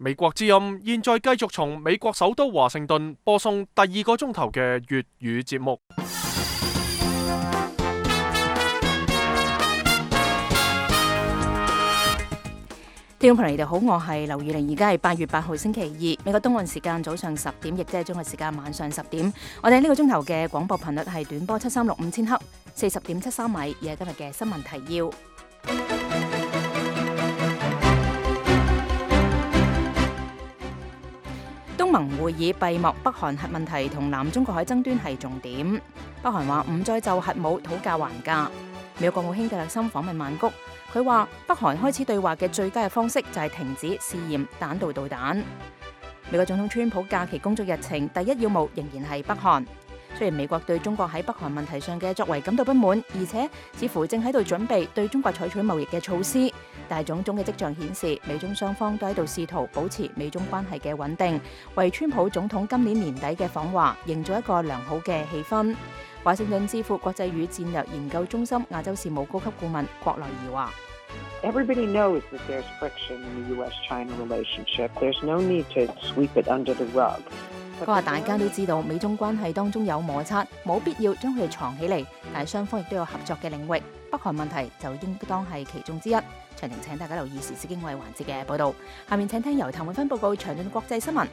美國之音現在繼續從美國首都華盛頓播送第2個鐘頭嘅粵語節目。聽眾朋友，你哋好，我係劉宇玲，而家係8月8號星期二，美國東岸時間早上10點，亦即係中國時間晚上10點。我哋呢個鐘頭嘅廣播頻率係短波7365000赫，40.73米，而係今日嘅新聞提要。東盟會議閉幕，北韓核問題同南中國海爭端係重點。北韓話唔再就核武討價還價。美國國務卿蒂勒森訪問曼谷，佢話北韓開始對話嘅最佳嘅方式就係停止試驗彈道導彈。美國總統川普假期工作日程第一要務仍然係北韓。雖然美國對中國喺北韓問題上嘅作為感到不滿，而且似乎正喺度準備對中國採取貿易嘅措施，但係種種嘅跡象顯示，美中雙方都喺度試圖保持美中關係嘅穩定，為川普總統今年年底嘅訪華營造一個良好嘅氣氛。華盛頓智庫國際與戰略研究中心亞洲事務高級顧問郭來儀話：Everybody knows that there's friction in the U.S.-China relationship. There's no need to sweep it under the rug. 佢話大家都知道美中關係當中有摩擦，冇必要將佢哋藏起嚟，但係雙方亦都有合作嘅領域，北韓問題就應當係其中之一。詳情請大家留意時事經緯環節嘅報導。下面請聽由譚永芬報告詳盡國際新聞。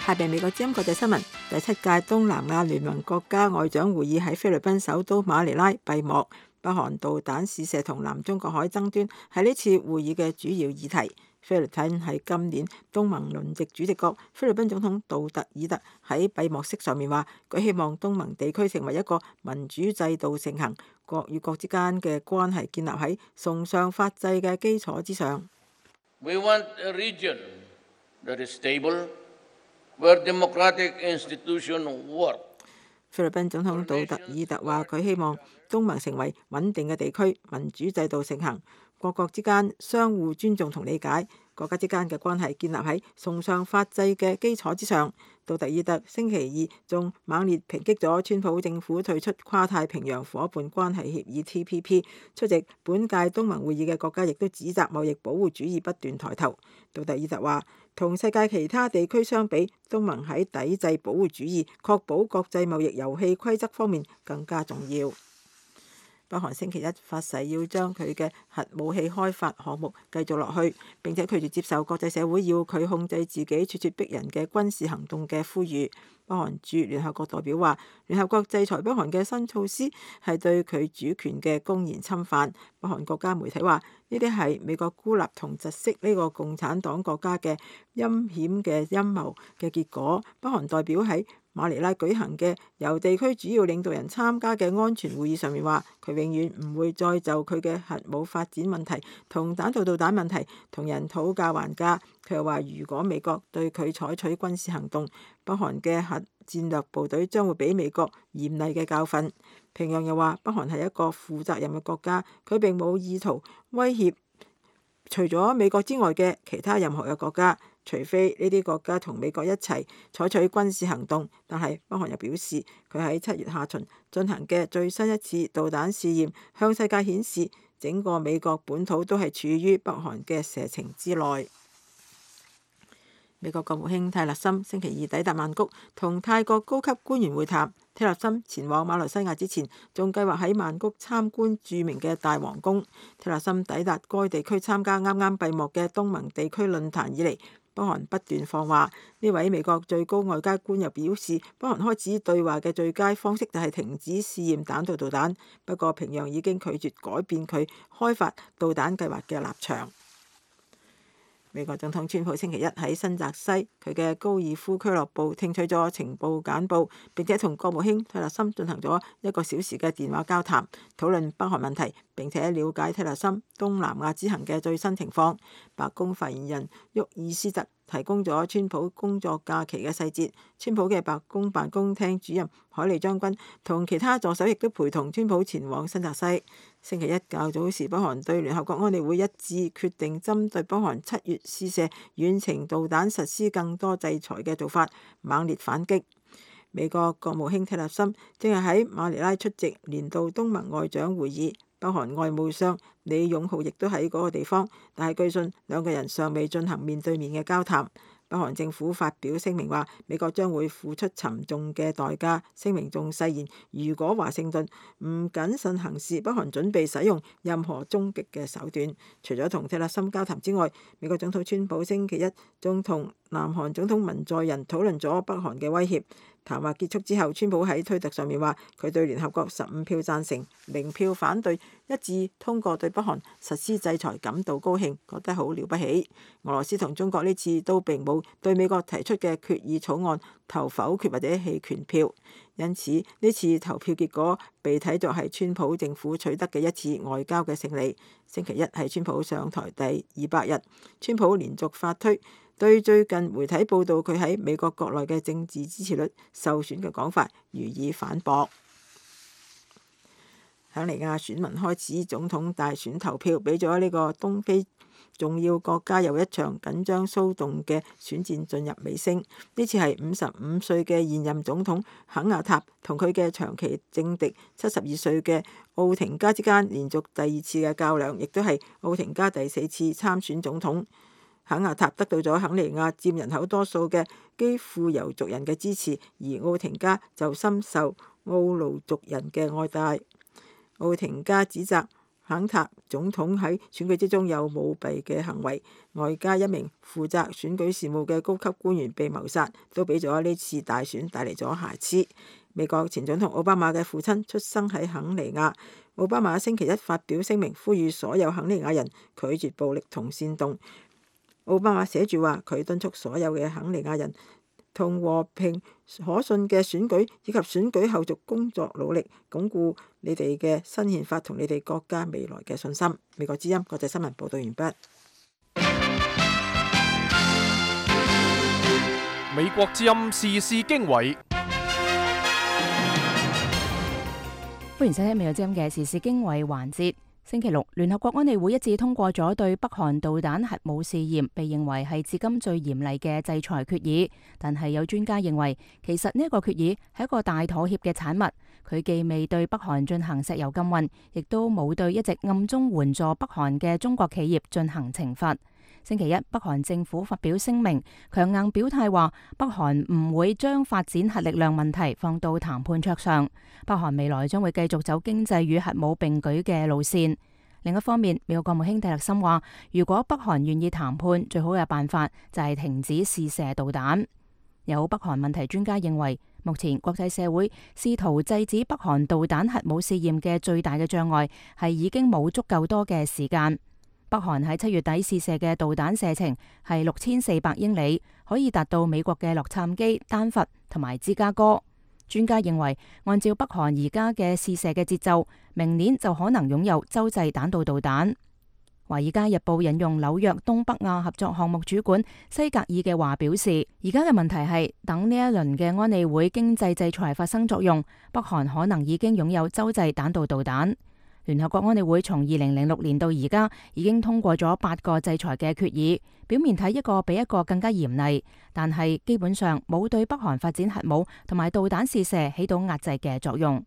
下邊美國之音國際新聞，第7屆東南亞聯盟國家外長會議喺菲律賓首都馬尼拉閉幕。北韓導彈試射同南中國海爭端係呢次會議嘅主要議題。菲律賓係今年東盟輪值主席國，菲律賓總統杜特爾特喺閉幕式上面話，佢希望東盟地區成為一個民主制度盛行，國與國之間嘅關係建立喺崇尚法制嘅基礎之上。We want a region that is stable, where democratic institutions work. 菲律賓總統杜特爾特話，佢希望東盟成為穩定嘅地區，民主制度盛行，各國之間相互尊重同理解，國家之間嘅關係建立喺崇尚法制嘅基礎之上。杜特爾特星期二仲猛烈抨擊咗川普政府退出跨太平洋夥伴關係協議 TPP。出席本屆東盟會議嘅國家亦都指責貿易保護主義不斷抬頭。杜特爾特話，同世界其他地區相比，東盟喺抵制保護主義、確保國際貿易遊戲規則方面更加重要。北韓星期一發誓要將佢嘅核武器開發項目繼續落去，並且拒絕接受國際社會要佢控制自己咄咄逼人嘅軍事行動嘅呼籲。北韓駐聯合國代表話，聯合國制裁北韓嘅新措施係對佢主權嘅公然侵犯。北韓國家媒體話，呢啲係美國孤立同窒息呢個共產黨國家嘅陰險嘅陰謀嘅結果。北韓代表喺馬尼拉舉行嘅由地區主要領導人參加嘅安全會議上面話，佢永遠唔會再就佢嘅核武發展問題同彈道導彈問題同人討價還價。佢又話，如果美國對佢採取軍事行動，北韓嘅核戰略部隊將會俾美國嚴厲嘅教訓。平壤又話，北韓係一個負責任嘅國家，佢並冇意圖威脅除咗美國之外嘅其他任何嘅國家，除非呢啲國家同美國一齊採取軍事行動。但係北韓又表示，佢喺7月下旬進行嘅最新一次導彈試驗，向世界顯示整個美國本土都係處於北韓嘅射程之內。美國國務卿蒂勒森星期二抵達曼谷，同泰國高級官員會談。蒂勒森前往馬來西亞之前，仲計劃喺曼谷參觀著名嘅大皇宮。蒂勒森抵達該地區參加啱啱閉幕嘅東盟地區論壇以嚟，北韓不斷放話。呢位美國最高外交官又表示，北韓開始對話嘅最佳方式就係停止試驗彈道導彈。不過平壤已經拒絕改變佢開發導彈計劃嘅立場。美國總統川普星期一喺新澤西佢嘅高爾夫俱樂部聽取咗情報簡報，並且同國務卿蒂勒森進行咗1個小時嘅電話交談，討論北韓問題，並且了解蒂勒森東南亞之行嘅最新情況。白宮發言人沃爾斯特提供咗川普工作假期嘅細節。川普嘅白宮辦公廳主任海利將軍同其他助手亦都陪同川普前往新澤西。星期一較早時，北韓對聯合國安理會一致決定針對北韓7月試射遠程導彈實施更多制裁嘅做法，猛烈反擊。美國國務卿蒂勒森正係喺馬尼拉出席年度東盟外長會議，北韓外務相李勇浩亦都喺嗰個地方，但係據信兩個人尚未進行面對面嘅交談。北韓政府發表聲明話，美國將會付出沉重嘅代價。聲明仲誓言，如果華盛頓唔謹慎行事，北韓準備使用任何終極嘅手段。除咗同蒂勒森交談之外，美國總統川普星期一仲同南韓總統文在寅討論咗北韓嘅威脅。談話結束之後，川普喺推特上面話，佢對聯合國15票贊成、0票反對，一致通過對北韓實施制裁感到高興，覺得好了不起。俄羅斯同中國呢次都並冇對美國提出嘅決議草案投否決或者棄權票，因此呢次投票結果被睇作係川普政府取得嘅一次外交嘅勝利。星期一係川普上台第200日，川普連續發推，對最近媒體報道佢喺美國國內嘅政治支持率受損嘅講法予以反駁。肯尼亞選民開始總統大選投票，俾咗呢個東非重要國家又一場緊張騷動嘅選戰進入尾聲。呢次係55歲嘅現任總統肯亞塔同佢嘅長期政敵72歲嘅奧廷加之間連續第2次嘅較量，亦都係奧廷加第4次參選總統。肯亞塔得到咗肯尼亞佔人口多數嘅基庫尤族人嘅支持，而奧廷加就深受奧盧族人嘅愛戴。奧廷加指責肯塔總統喺選舉之中有舞弊嘅行為，外加一名負責選舉事務嘅高級官員被謀殺，都俾咗呢次大選帶嚟咗瑕疵。美國前總統奧巴馬嘅父親出生喺肯尼亞，奧巴馬星期一發表聲明，呼籲所有肯尼亞人拒絕暴力同煽動。奧巴馬寫住話，佢敦促所有嘅肯尼亞人同和平可信嘅選舉以及選舉後續工作努力，鞏固你哋嘅新憲法同你哋國家未來嘅信心。美國之音國際新聞報道完畢。美國之音時事經緯，歡迎收聽美國之音嘅時事經緯環節。星期六，聯合國安理會一致通過咗對北韓導彈核武試驗被認為係至今最嚴厲嘅制裁決議。但係有專家認為，其實呢一個決議係一個大妥協嘅產物。佢既未對北韓進行石油禁運，亦都冇對一直暗中援助北韓嘅中國企業進行懲罰。星期一，北韓政府發表聲明，強硬表態話北韓唔會將發展核力量問題放到談判桌上。北韓未來將會繼續走經濟與核武並舉嘅路線。另一方面，美國國務卿蒂勒森話，如果北韓願意談判，最好嘅辦法就係停止試射導彈。有北韓問題專家認為，目前國際社會試圖制止北韓導彈核武試驗嘅最大嘅障礙係已經冇足夠多嘅時間。北韓喺7月底試射嘅導彈射程係6400英里，可以達到美國嘅洛杉磯、丹佛同埋芝加哥。專家認為，按照北韓而家嘅試射嘅節奏，明年就可能擁有洲際彈道導彈。《華爾街日報》引用紐約東北亞合作項目主管西格爾嘅話表示，而家嘅問題係等呢一輪嘅安理會經濟制裁發生作用，北韓可能已經擁有洲際彈道導彈。聯合國安理會從2006年到而家已經通過咗8個制裁嘅決議，表面睇一個比一個更加嚴厲，但係基本上冇對北韓發展核武同埋導彈試射起到壓制嘅作用。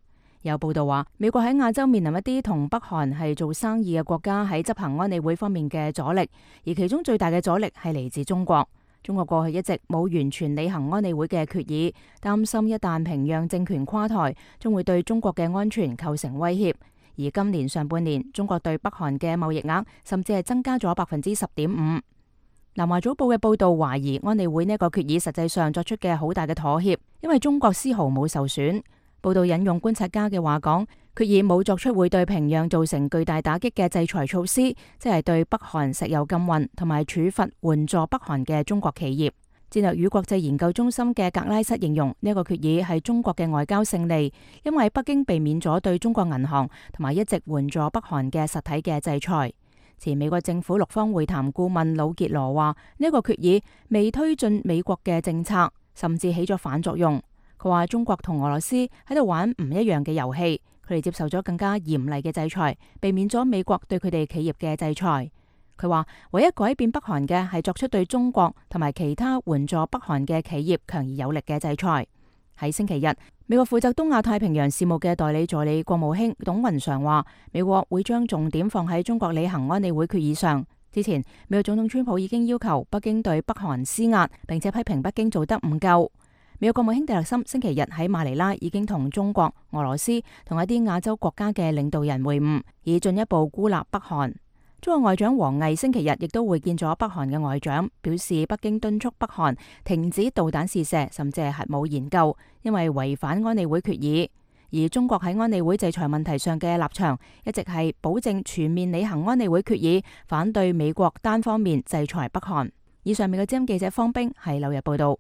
有報道話，美國喺亞洲面臨一啲同北韓係做生意嘅國家喺執行安理會方面嘅阻力，而其中最大嘅阻力係嚟自中國。中國過去一直冇完全履行安理會嘅決議，擔心一旦平壤政權垮台，將會對中國嘅安全構成威脅。而今年上半年，中國對北韓嘅貿易額甚至係增加咗10.5%。南華早報嘅報導懷疑安理會呢個決議實際上作出嘅好大嘅妥協，因為中國絲毫冇受損。報導引用觀察家嘅話講，決議冇作出會對平壤造成巨大打擊嘅制裁措施，即係對北韓石油禁運同埋處罰援助北韓嘅中國企業。戰略與國際研究中心嘅格拉瑟形容呢個決議係中國嘅外交勝利，因為北京避免咗對中國銀行同埋一直援助北韓嘅實體嘅制裁。前美國政府六方會談顧問魯傑羅話，呢個決議未推進美國嘅政策，甚至起咗反作用。佢話中國同俄羅斯喺度玩唔一樣嘅遊戲，佢哋接受咗更加嚴厲嘅制裁，避免咗美國對佢哋企業嘅制裁。佢話唯一改變北韓嘅係作出對中國同埋其他援助北韓嘅企業強而有力嘅制裁。喺星期日，美國負責東亞太平洋事務嘅代理助理國務卿董雲常話，美國會將重點放喺中國履行安理會決議上。之前，美國總統川普已經要求北京對北韓施壓，並且批評北京做得唔夠。美國國務卿蒂勒森星期日喺馬尼拉已經同中國、俄羅斯同一啲亞洲國家嘅領導人會晤，以進一步孤立北韓。中國外長王毅星期日亦都會見咗北韓嘅外長，表示北京敦促北韓停止導彈試射，甚至係核武研究，因為違反安理會決議。而中國喺安理會制裁問題上嘅立場，一直係保證全面履行安理會決議，反對美國單方面制裁北韓。以上美國之音記者方冰喺紐約報道。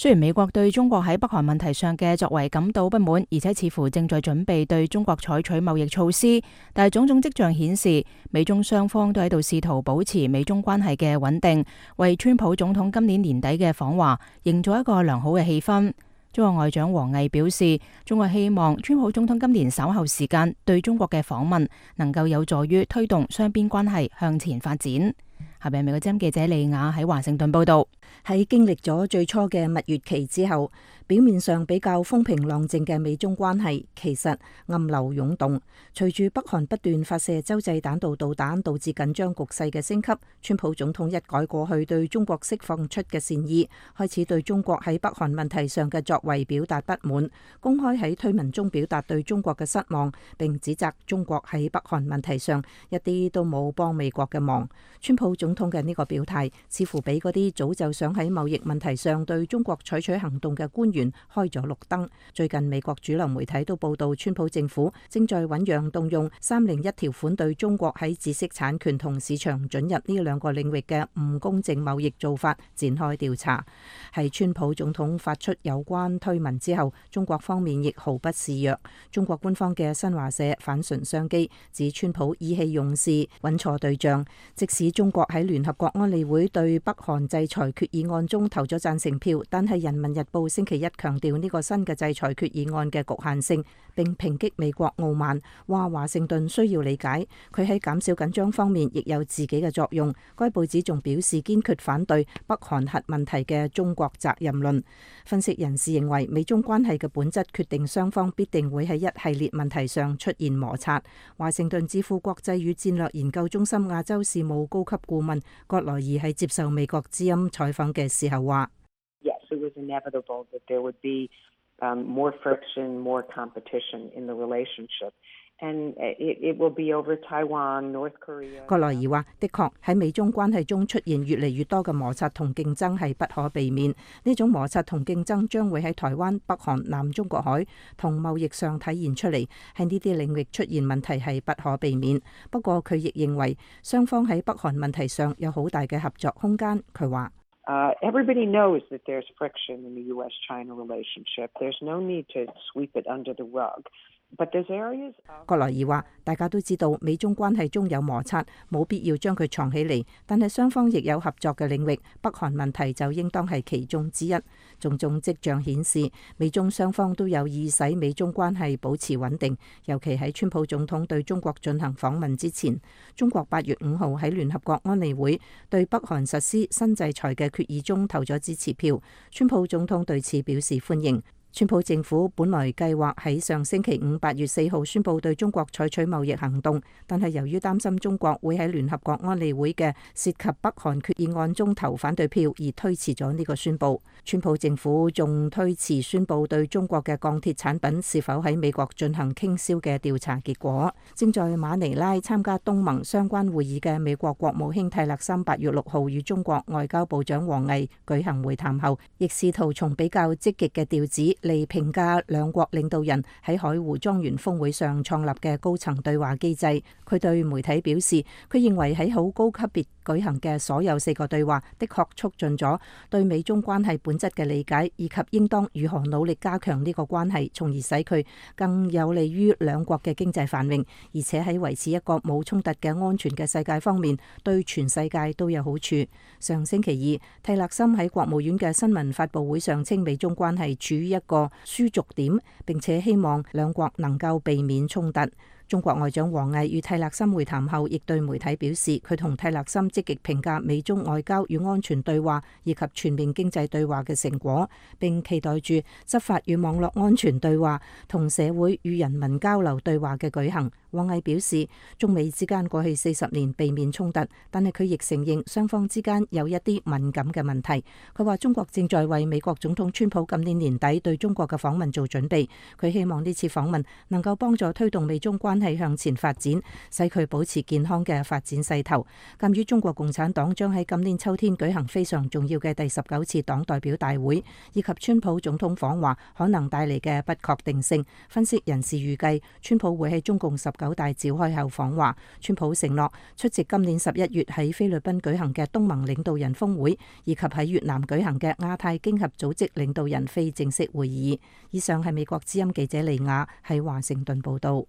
雖然美國對中國喺北韓問題上嘅作為感到不滿，而且似乎正在準備對中國採取貿易措施，但係種種跡象顯示，美中雙方都喺度試圖保持美中關係嘅穩定，為川普總統今年年底嘅訪華營造一個良好嘅氣氛。中國外長王毅表示，中國希望川普總統今年稍後時間對中國嘅訪問能夠有助於推動雙邊關係向前發展。下邊美國之音記者利亞喺華盛頓報道。喺經歷咗最初嘅蜜月期之後，表面上比較風平浪靜嘅美中關係其實暗流湧動。隨住北韓不斷發射洲際彈道導彈，導致緊張局勢嘅升級，川普總統一改過去對中國釋放出嘅善意，開始對中國喺北韓問題上嘅作為表達不滿，公開喺推文中表達對中國嘅失望，並指責中國喺北韓問題上一啲都冇幫美國嘅忙。川普總統嘅呢個表態似乎俾嗰啲早就想喺貿易問題上對中國採取行動嘅官員開咗綠燈。最近美國主流媒體都報道，川普政府正在醞釀動用301條款對中國喺知識產權同市場准入呢兩個領域嘅唔公正貿易做法展開調查。喺川普總統發出有關推文之後，中國方面亦毫不示弱。中國官方嘅新華社反唇相譏，指川普意氣用事，揾錯對象。即使中國喺聯合國安理會對北韓制裁決議案中投咗贊成票，但係《人民日報》星期一強調呢個新嘅制裁決議案嘅局限性，並抨擊美國傲慢，話華盛頓需要理解佢喺減少緊張方面亦有自己嘅作用。該報紙仲表示堅決反對北韓核問題嘅中國責任論。分析人士認為，美中關係嘅本質決定雙方必定會喺一系列問題上出現摩擦。華盛頓智庫國際與戰略研究中心亞洲事務高級顧問葛萊儀喺接受美國之音採訪嘅時候話：Yes, it was inevitable that there would be more friction, more competition in the relationship. And it will be over Taiwan, North Korea. 葛萊儀話：的確喺美中關係中出現越嚟越多嘅摩擦同競爭係不可避免。呢種摩擦同競爭將會喺台灣、北韓、南中國海同貿易上體現出嚟。喺呢啲領域出現問題係不可避免。不過佢亦認為雙方喺北韓問題上有好大嘅合作空間。佢話：Everybody knows that there's friction in the U.S.-China relationship. There's no need to sweep it under the rug. 葛萊儀話：大家都知道美中關係中有摩擦，冇必要將佢藏起嚟。但係雙方亦有合作嘅領域，北韓問題就應當係其中之一。種種跡象顯示，美中雙方都有意使美中關係保持穩定。尤其喺川普總統對中國進行訪問之前，中國8月5號喺聯合國安理會對北韓實施新制裁嘅決議中投咗支持票。川普總統對此表示歡迎。川普政府本來計劃喺上星期五8月4號宣布對中國採取貿易行動，但係由於擔心中國會喺聯合國安理會嘅涉及北韓決議案中投反對票，而推遲咗呢個宣布。川普政府仲推遲宣布對中國嘅鋼鐵產品是否喺美國進行傾銷嘅調查結果。正在馬尼拉參加東盟相關會議嘅美國國務卿蒂勒森8月6號與中國外交部長王毅舉行會談後，亦試圖從比較積極嘅調子嚟評價兩國領導人喺海湖莊園峰會上創立嘅高層對話機制。佢對媒體表示，佢認為喺好高級別舉行嘅所有4個對話，的確促進咗對美中關係本質嘅理解，以及應當如何努力加強呢個關係，從而使佢更有利於兩國嘅經濟繁榮，而且喺維持一個冇衝突嘅安全嘅世界方面，對全世界都有好處。上星期二，蒂勒森喺國務院嘅新聞發佈會上稱，美中關係處於一個輸逐點，並且希望兩國能夠避免衝突。中國外長王毅與蒂勒森會談後，亦對媒體表示，佢同蒂勒森積極評價美中外交與安全對話以及全面經濟對話嘅成果，並期待住執法與網絡安全對話同社會與人民交流對話嘅舉行。王毅表示，中美之間過去40年避免衝突，但係佢亦承認雙方之間有一啲敏感嘅問題。佢話中國正在為美國總統川普今年年底對中國嘅訪問做準備，佢希望呢次訪問能夠幫助推動美中關係向前發展，使佢保持健康嘅發展勢頭。鑒於中國共產黨將喺今年秋天舉行非常重要嘅第19次黨代表大會，以及川普總統訪華可能帶嚟嘅不確定性，分析人士預計川普會喺中共19大召開後訪華。川普承諾出席今年11月喺菲律賓舉行嘅東盟領導人峰會，以及喺越南舉行嘅亞太經合組織領導人非正式會議。以上係美國之音記者利亞喺華盛頓報道。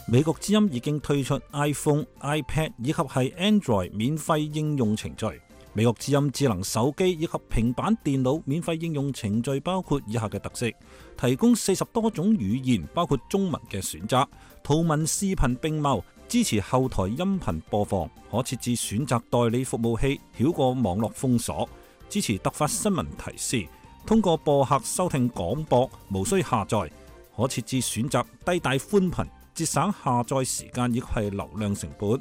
美國之音已經推出 iPhone、iPad 以及係 Android 免費應用程序。美國之音智能手機以及平板電腦免費應用程序包括以下嘅特色：提供40多種語言，包括中文嘅選擇，圖文視頻並茂，支持後台音頻播放，可設置選擇代理服務器，繞過網絡封鎖，支持突發新聞提示，通過播客收聽廣播，無需下載，可設置選擇低帶寬頻，節省下載時間以及係流量成本。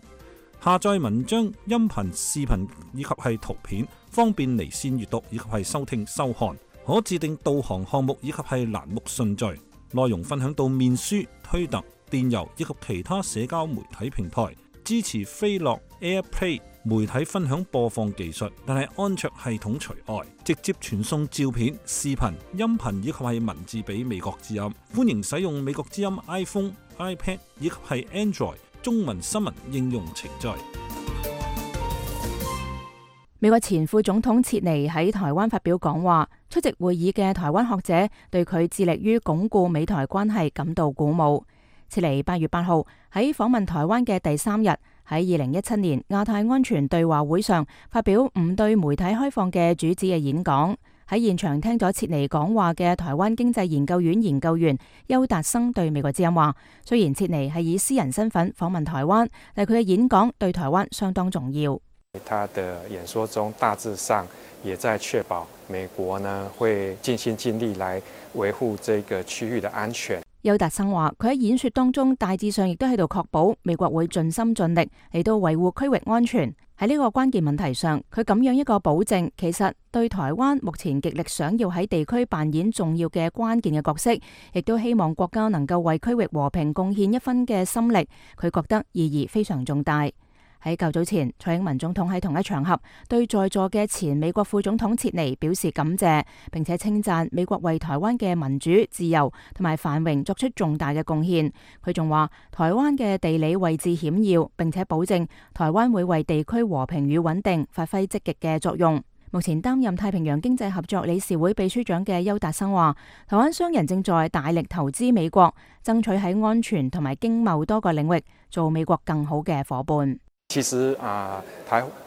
下載文章、音頻、視頻以及係圖片，方便離線閱讀以及係收聽收看。可自定導航項目以及係欄目順序。內容分享到面書、推特、電郵以及其他社交媒體平台。支持飛樂 AirPlay 媒體分享播放技術，但係安卓系統除外。直接傳送照片、視頻、音頻以及係文字俾美國之音。歡迎使用美國之音 iPhone、iPad 以及係 Android中文新聞應用程序。美國前副總統切尼喺台灣發表講話，出席會議嘅台灣學者對佢致力於鞏固美台關係感到鼓舞。切尼8月8號喺訪問台灣嘅第3日，喺2017年亞太安全對話會上發表唔對媒體開放嘅主旨嘅演講。喺現場聽咗切尼講話嘅台灣經濟研究院研究員邱達生對美國之音話，雖然切尼係以私人身份訪問台灣，但佢嘅演講對台灣相當重要。他的演說中大致上也在確保美國呢會盡心盡力來維護這個區域的安全。邱達生話，佢喺演說當中大致上亦都喺度確保美國會盡心盡力嚟到維護區域安全。喺呢個關鍵問題上，佢咁樣一個保證，其實對台灣目前極力想要喺地區扮演重要嘅關鍵嘅角色，亦都希望國家能夠為區域和平貢獻一分嘅心力，佢覺得意義非常重大。喺較早前，蔡英文總統喺同一場合對在座嘅前美國副總統切尼表示感謝，並且稱讚美國為台灣嘅民主、自由同埋繁榮作出重大嘅貢獻。佢仲話台灣嘅地理位置險要，並且保證台灣會為地區和平與穩定發揮積極嘅作用。目前擔任太平洋經濟合作理事會秘書長嘅邱達生話，台灣商人正在大力投資美國，爭取喺安全同埋經貿多個領域做美國更好嘅夥伴。其實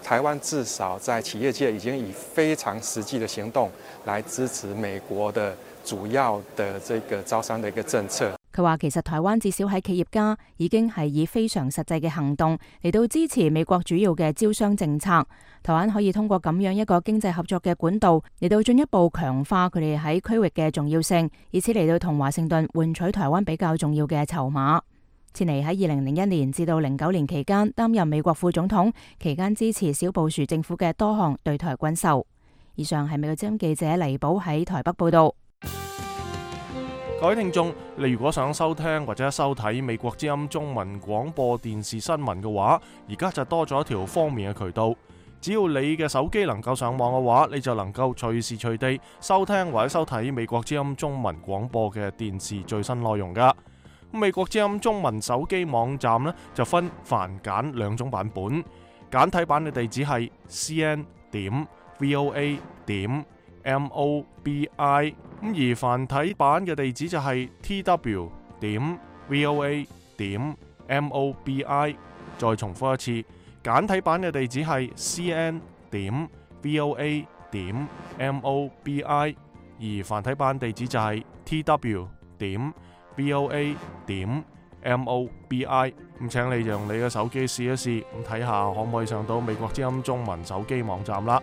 台灣至少在企業界已經以非常實際的行動來支持美國的主要的這個招商的一個政策。佢話其實台灣至少喺企業家已經係以非常實際嘅行動嚟到支持美國主要嘅招商政策。台灣可以通過咁樣一個經濟合作嘅管道嚟到進一步強化佢哋喺區域嘅重要性，以此嚟到同華盛頓換取台灣比較重要嘅籌碼。切尼喺2001年至到09年期間擔任美國副總統，期間支持小布殊政府嘅多項對台軍售。以上係美國之音記者黎寶喺台北報道。各位聽眾，你如果想收聽或者收睇美國之音中文廣播電視新聞嘅話，而家就多咗一條方便嘅渠道。只要你嘅手機能夠上網嘅話，你就能夠隨時隨地收聽或者收睇美國之音中文廣播嘅電視最新內容噶。美國之音中文手機網站呢，就分繁簡兩種版本，簡體版嘅地址係 cn.voa.mobi， 而繁體版嘅地址就係 tw.voa.mobi。 再重複一次，簡體版嘅地址係 cn.voa.mobi， 而繁體版地址就係 tw.voa.mobi。VOA.mobi。咁請你用你嘅手機試一試，咁睇下可唔可以上到美國之音中文手機網站啦。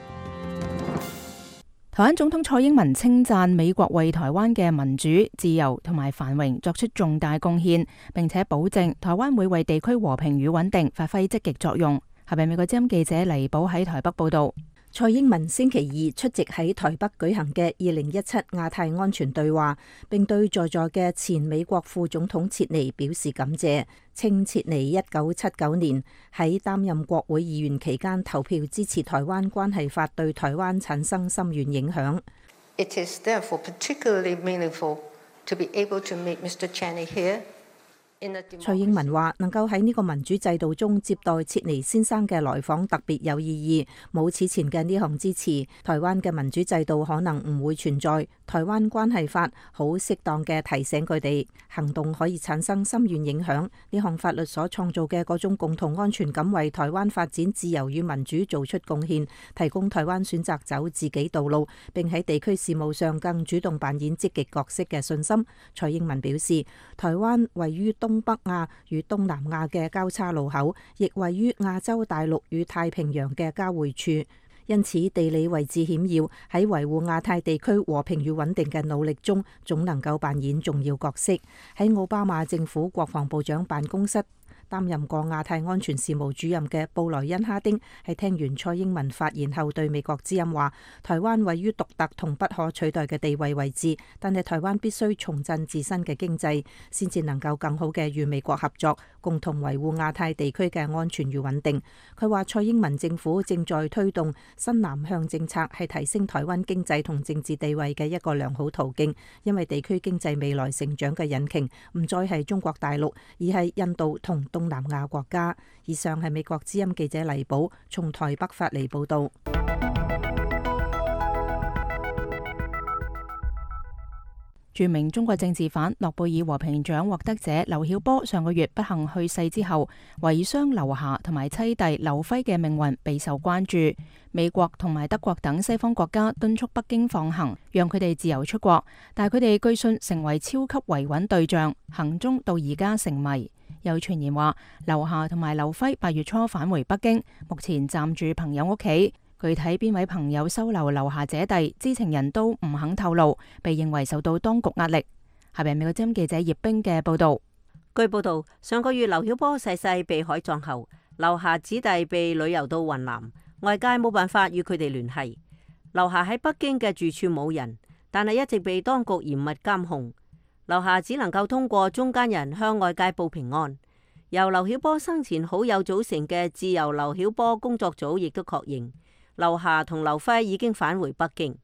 台灣總統蔡英文稱讚美國為台灣嘅民主、自由同埋繁榮作出重大貢獻，並且保證台灣會為地區和平與穩定發揮積極作用。下邊美國之音記者黎寶喺台北報道。蔡英文星期二出席喺台北舉行嘅2017亞太安全對話，並對在座嘅前美國副總統切尼表示感謝，稱切尼1979年喺擔任國會議員期間投票支持台灣關係法，對台灣產生深遠影響。It is therefore particularly meaningful to be able to meet Mr. Cheney here. 蔡英文話：能夠喺呢個民主制度中接待切尼先生嘅來訪特別有意義，冇此前嘅呢項支持，台灣嘅民主制度可能唔會存在。台灣關係法好適當嘅提醒佢哋，行動可以產生深遠影響。呢項法律所創造嘅嗰種共同安全感，為台灣發展自由與民主做出貢獻，提供台灣選擇走自己道路，並喺地區事務上更主動扮演積極角色嘅信心。蔡英文表示，台灣位於東北亞與東南亞嘅交叉路口，亦位於亞洲大陸與太平洋嘅交匯處，因此地理位置險要，喺維護亞太地區和平與穩定嘅努力中，總能夠扮演重要角色。喺奧巴馬政府國防部長辦公室擔任過亞太安全事務主任嘅布萊恩哈丁喺聽完蔡英文發言後，對美國之音話：台灣位於獨特同不可取代嘅地位位置，但係台灣必須重振自身嘅經濟，先至能夠更好嘅與美國合作，共同維護亞太地區嘅安全與穩定。佢話蔡英文政府正在推動新南向政策，係提升台灣經濟同政治地位嘅一個良好途徑，因為地區經濟未來成長嘅引擎唔再係中國大陸，而係印度同東南亞國家。以上係美國之音記者黎寶從台北發嚟報道。著名中國政治犯諾貝爾和平獎獲得者劉曉波上個月不幸去世之後，遺孀劉霞同埋妻弟劉輝嘅命運備受關注。美國同埋德國等西方國家敦促北京放行，讓佢哋自由出國，但係佢哋據信成為超級維穩對象，行蹤到而家成謎。有傳言話，劉霞同埋劉輝8月初返回北京，目前暫住朋友屋企。具體邊位朋友收留劉霞姐弟，知情人都唔肯透露，被認為受到當局壓力。下邊美國之音記者葉冰嘅報道。據報道，上個月劉曉波逝世被海葬後，劉霞子弟被旅遊到雲南，外界冇辦法與佢哋聯繫。劉霞喺北京嘅住處冇人，但係一直被當局嚴密監控。劉霞只能夠通過中間人向外界報平安。由劉曉波生前好友組成嘅自由劉曉波工作組亦都確認，劉霞同劉輝已經返回北京。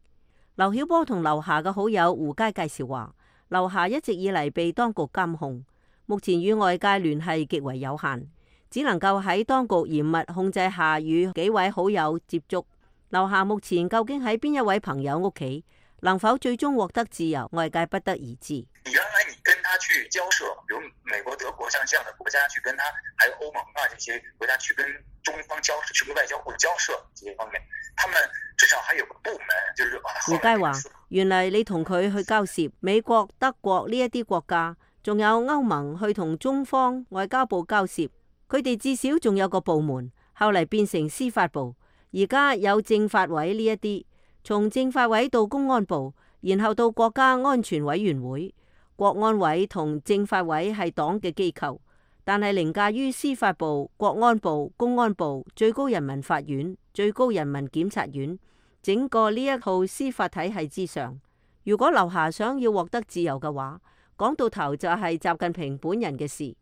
劉曉波同劉霞嘅好友胡佳介紹話，劉霞一直以嚟被當局監控，目前與外界聯繫極為有限，只能夠喺當局嚴密控制下與幾位好友接觸。劉霞目前究竟喺邊一位朋友屋企，能否最終獲得自由，外界不得而知。原來你跟他去交涉，比如美國、德國像這樣的國家去跟他，還有歐盟啊這些國家去跟中方交涉，去跟外交部交涉這些方面，他們至少還有個部門，就是胡佳話，原來你同佢去交涉，美國、德國呢一啲國家，仲有歐盟去同中方外交部交涉，佢哋至少仲有個部門，後嚟變成司法部，而家有政法委呢一啲，從政法委到公安部，然後到國家安全委員會。國安委同政法委係黨嘅機構，但係凌駕於司法部、國安部、公安部、最高人民法院、最高人民檢察院整個呢一套司法體系之上。如果劉霞想要獲得自由嘅話，講到頭就係習近平本人嘅事，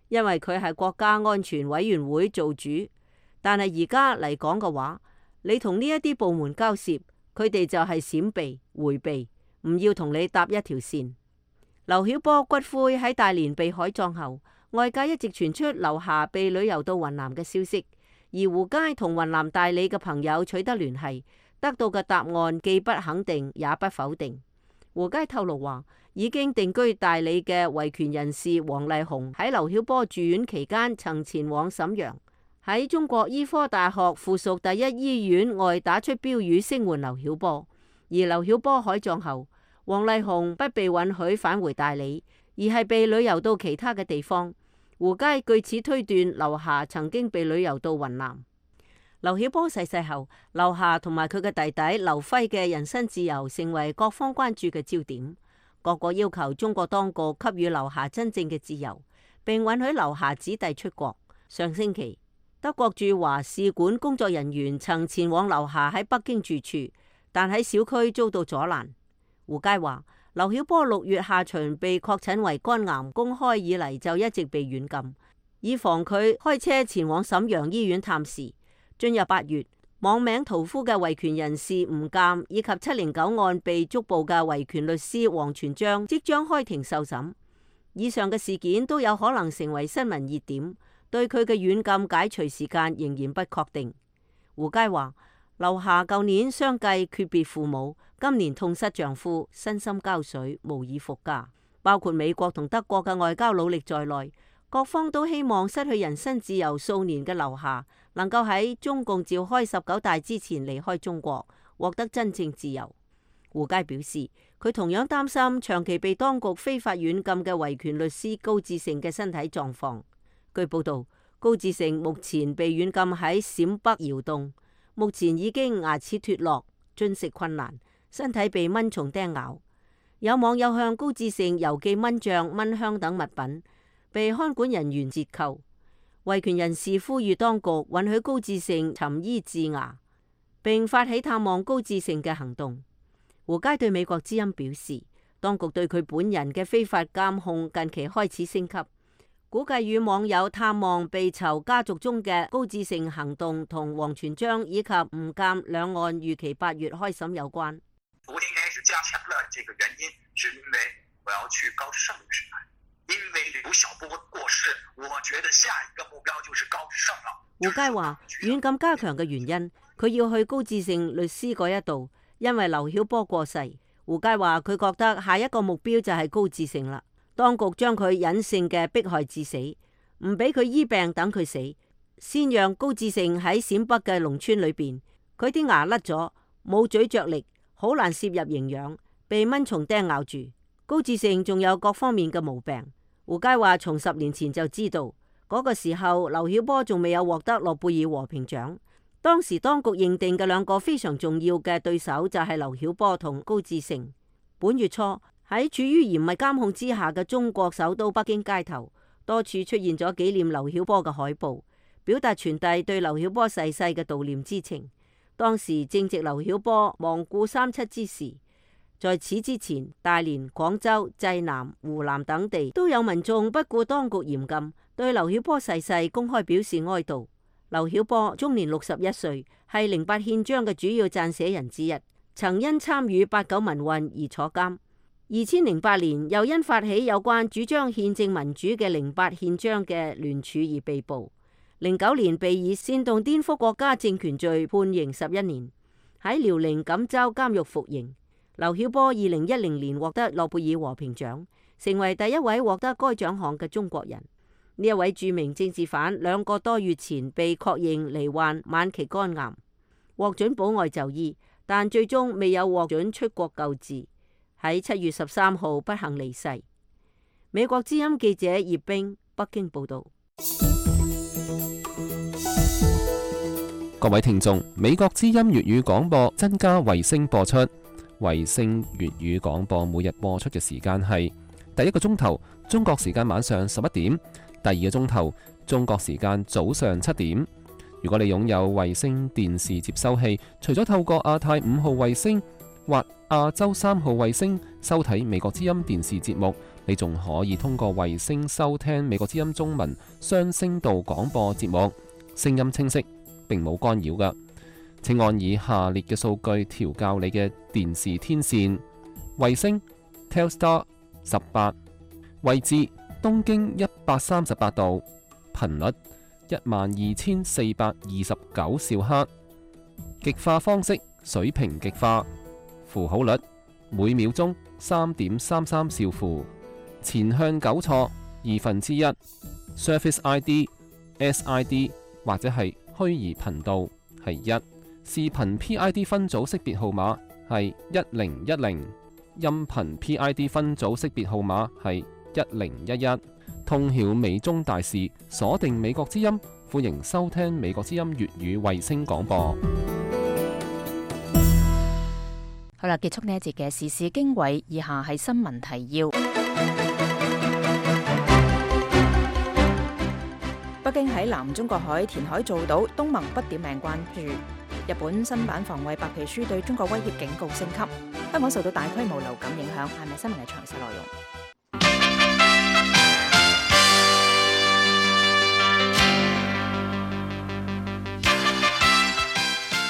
因為佢係國家安全委員會做主。但係而家嚟講嘅話，你同呢一啲部門交涉，佢哋就係閃避、迴避，唔要同你搭一條線。劉曉波骨灰喺大連被海葬後，外界一直傳出劉霞被旅遊到雲南嘅消息，而胡佳同雲南大理嘅朋友取得聯繫，得到嘅答案既不肯定也不否定。胡佳透露話，已經定居大理嘅維權人士王麗紅喺劉曉波住院期間曾前往瀋陽，喺中國醫科大學附屬第一醫院外打出標語聲援劉曉波。而劉曉波海葬後，王麗紅不被允許返回大理，而係被旅遊到其他嘅地方。胡佳據此推斷，劉霞曾經被旅遊到雲南。劉曉波逝世後，劉霞同埋佢嘅弟弟劉輝嘅人身自由成為各方關注嘅焦點。各國要求中國當局給予劉霞真正嘅自由，並允許劉霞子弟出國。上星期，德國駐華使館工作人員曾前往劉霞喺北京住處，但喺小區遭到阻攔。胡佳話：劉曉波6月下旬被確診為肝癌，公開以嚟就一直被軟禁，以防佢開車前往瀋陽醫院探視。進入8月，網名屠夫嘅維權人士吳鑑以及709案被捉捕嘅維權律師王全璋即將開庭受審。以上嘅事件都有可能成為新聞熱點，對佢嘅軟禁解除時間仍然不確定。胡佳話：劉霞舊年相繼訣別父母，今年痛失丈夫，身心交瘁，無以復加。包括美國同德國嘅外交努力在內，各方都希望失去人身自由數年嘅劉霞能夠喺中共召開19大之前離開中國，獲得真正自由。胡佳表示，佢同樣擔心長期被當局非法軟禁嘅維權律師高志盛嘅身體狀況。據報道，高志盛目前被軟禁喺陝北窯洞，目前已經牙齒脫落，進食困難，身體被蚊蟲叮咬。有網友向高志盛郵寄蚊帳、蚊香等物品，被看管人員折扣。維權人士呼籲當局允許高志盛尋醫治牙，並發起探望高志盛嘅行動。胡佳對美國之音表示，當局對佢本人嘅非法監控近期開始升級，估計與網友探望被囚家族中嘅高志盛行動同王全璋以及吳鑑兩案預期8月開審有關。昨天開始加強了，這個原因是因為我要去高志勝律師那裡。因為劉曉波過世，我覺得下一個目標就是高志勝了。胡佳話軟禁加強嘅原因，佢要去高志勝律師嗰一度，因為劉曉波過世。胡佳話佢覺得下一個目標就係高志勝啦。當局將佢隱性嘅迫害致死，唔俾佢醫病等佢死，先讓高志勝喺陝北嘅農村裏邊，佢啲牙甩咗，冇咀嚼力，好難攝入營養，被蚊蟲叮咬住。高志勝仲有各方面嘅毛病。胡佳話從10年前就知道，嗰個時候劉曉波仲未有獲得諾貝爾和平獎。當時當局認定嘅兩個非常重要嘅對手就係劉曉波同高志勝。本月初喺處於嚴密監控之下嘅中國首都北京街頭，多處出現咗紀念劉曉波嘅海報，表達傳遞對劉曉波逝世嘅悼念之情。當時正值劉曉波亡故37之時。在此之前，大連、廣州、濟南、湖南等地都有民眾不顧當局嚴禁，對劉曉波逝世公開表示哀悼。劉曉波終年61歲，係08憲章嘅主要撰寫人之一，曾因參與89民運而坐監。2008年又因發起有關主張憲政民主嘅08憲章嘅聯署而被捕。09年被以煽動顛覆國家政權罪判刑11年，喺遼寧錦州監獄服刑。劉曉波2010年獲得諾貝爾和平獎，成為第一位獲得該獎項嘅中國人。呢一位著名政治犯2個多月前被確認罹患晚期肝癌，獲准保外就醫，但最終未有獲准出國救治，喺7月13號不幸離世。美國之音記者葉冰北京報道。各位聽眾，美國之音粵語廣播增加衛星播出。衛星粵語廣播每日播出嘅時間係第一個鐘頭中國時間晚上11點，第二個鐘頭中國時間早上7點。如果你擁有衛星電視接收器，除咗透過亞太5號衛星或亞洲3號衛星收睇美國之音電視節目，你仲可以通過衛星收聽美國之音中文雙聲道廣播節目，聲音清晰，並冇干擾㗎。請按以下列嘅數據調校你嘅電視天線：衛星 Telstar 18，位置東經138度，頻率12429兆赫，極化方式水平極化，符號率每秒鐘3.33兆符，前向糾錯1/2， Surface ID、SID 或者係虛擬頻道係1。視頻 PID 分組識別號碼係1010，音頻 PID 分組識別號碼係1011，通曉美中大事，鎖定美國之音，歡迎收聽美國之音粵語衛星廣播。好啦，結束呢一節嘅時事經緯，以下係新聞提要。北京喺南中國海填海造島，東盟不點名關注。日本新版防衛白皮書對中國威脅警告升級。香港受到大規模流感影響，係咪新聞嘅詳細內容？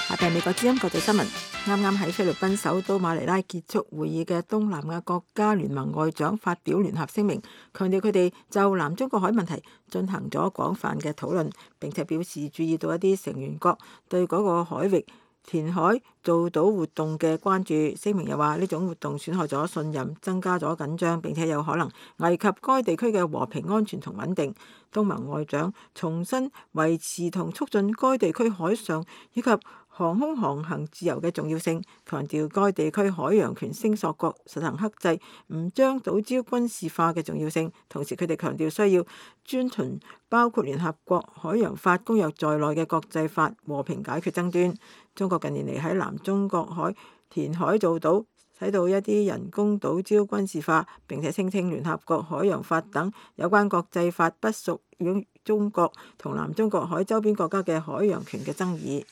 下邊美國之音國際新聞。啱啱喺菲律賓首都馬尼拉結束會議嘅東南亞國家聯盟外長發表聯合聲明，強調佢哋就南中國海問題進行咗廣泛嘅討論，並且表示注意到一啲成員國對嗰個海域填海造島活動嘅關注。聲明又話呢種活動損害咗信任，增加咗緊張，並且有可能危及該地區嘅和平安全同穩定。東盟外長重申維持同促進該地區海上以及航空航行自由嘅重要性，強調該地區海洋權聲索國實行克制，唔將島礁軍事化嘅重要性。同時，佢哋強調需要遵循包括聯合國海洋法公約在內嘅國際法，和平解決爭端。中國近年嚟喺南中國海填海造島，使到一啲人工島礁軍事化，並且聲稱聯合國海洋法等有關國際法不屬於中國同南中國海周邊國家嘅海洋權嘅爭議。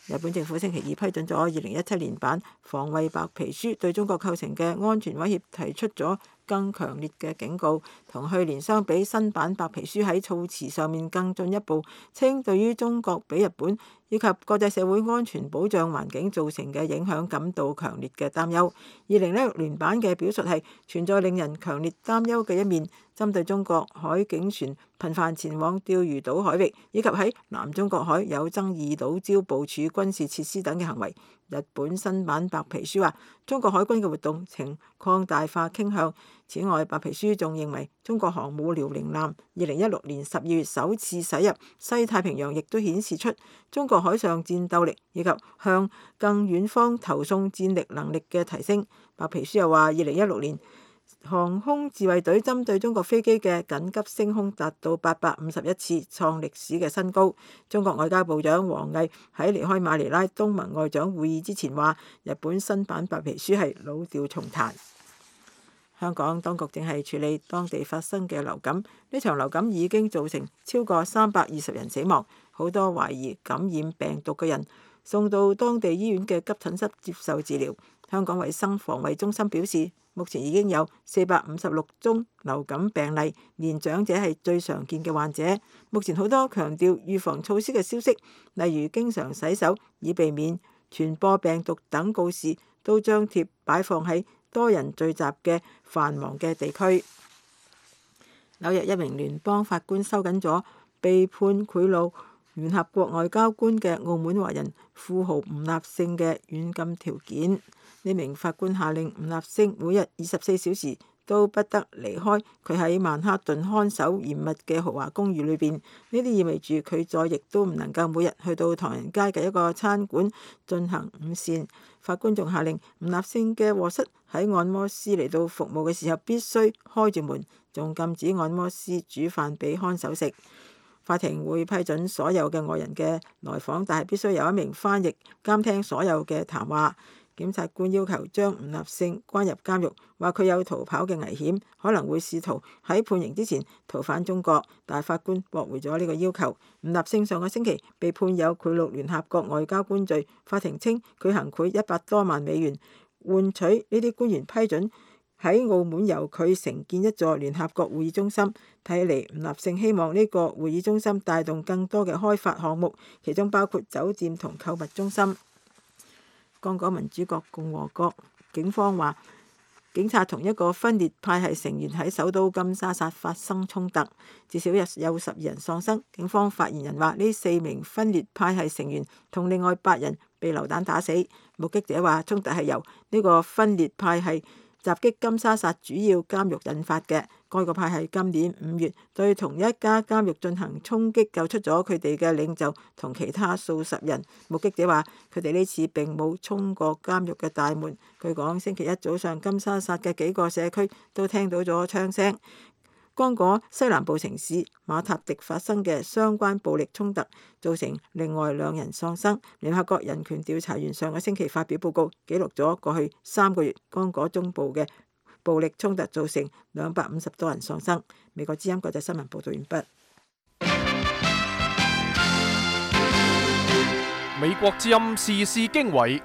日本政府星期二批准咗2017年版防衛白皮書，對中國構成嘅安全威脅提出咗更強烈嘅警告。同去年相比，新版白皮書喺措辭上面更進一步，稱對於中國比日本以及國際社會安全保障環境造成嘅影響感到強烈嘅擔憂。2016年版嘅表述係存在令人強烈擔憂嘅一面，針對中國海警船頻繁前往釣魚島海域，以及喺南中國海有爭議島礁部署軍事設施等嘅行為。日本新版白皮書話，中國海軍嘅活動呈擴大化傾向。此外，白皮書仲認為中國航母遼寧艦2016年12月首次駛入西太平洋，亦都顯示出中國海上戰鬥力以及向更遠方投送戰力能力嘅提升。白皮書又話，2016年航空自衛隊針對中國飛機嘅緊急升空達到851次，創歷史嘅新高。中國外交部長王毅喺離開馬尼拉東盟外長會議之前話，日本新版白皮書係老調重彈。香港當局正係處理當地發生嘅流感，呢場流感已經造成超過320人死亡，好多懷疑感染病毒嘅人送到當地醫院嘅急診室接受治療。香港衛生防衛中心表示，目前已經有456宗流感病例，年長者係最常見嘅患者。目前好多強調預防措施嘅消息，例如經常洗手以避免傳播病毒等告示，都張貼擺放喺多人聚集嘅繁忙嘅地區。紐約一名聯邦法官收緊咗被判賄賂聯合國外交官嘅澳門華人富豪吳立勝嘅軟禁條件。呢名法官下令吳立勝每日24小時都不得離開佢喺曼哈頓看守嚴密嘅豪華公寓裏邊。呢啲意味住佢再亦都唔能夠每日去到唐人街嘅一個餐館進行午膳。法官仲下令吳立勝嘅臥室喺按摩師嚟到服務嘅時候必須開住門，仲禁止按摩師煮飯俾看守食。法庭會批准所有嘅外人嘅來訪，但係必須有一名翻譯監聽所有嘅談話。檢察官要求將吳立勝關入監獄，話佢有逃跑嘅危險，可能會試圖喺判刑之前逃返中國，但係法官駁回咗呢個要求。吳立勝上個星期被判有賄賂聯合國外交官罪，法庭稱佢行賄100多萬美元，換取呢啲官員批准喺澳門由佢承建一座聯合國會議中心。睇嚟吳立勝希望呢個會議中心帶動更多嘅開發項目，其中包括酒店同購物中心。剛果民主國共和國警方話，警察同一個分裂派系成員喺首都金沙薩發生衝突，至少有12人喪生。警方發言人話，呢4名分裂派系成員同另外8人被流彈打死。目擊者話，衝突係由呢個分裂派系襲擊金沙薩主要監獄引發嘅。該個派系今年5月對同一家監獄進行衝擊，救出咗佢哋嘅領袖同其他數十人。目擊者話，佢哋呢次並冇衝過監獄嘅大門。據講，星期一早上金沙薩嘅幾個社區都聽到咗槍聲。剛果西南部城市馬塔迪發生嘅相關暴力衝突，造成另外2人喪生。聯合國人權調查員上個星期發表報告，記錄咗過去3個月剛果中部嘅暴力衝突造成250多人喪生。美國之音國際新聞報道完畢。美國之音時事經緯，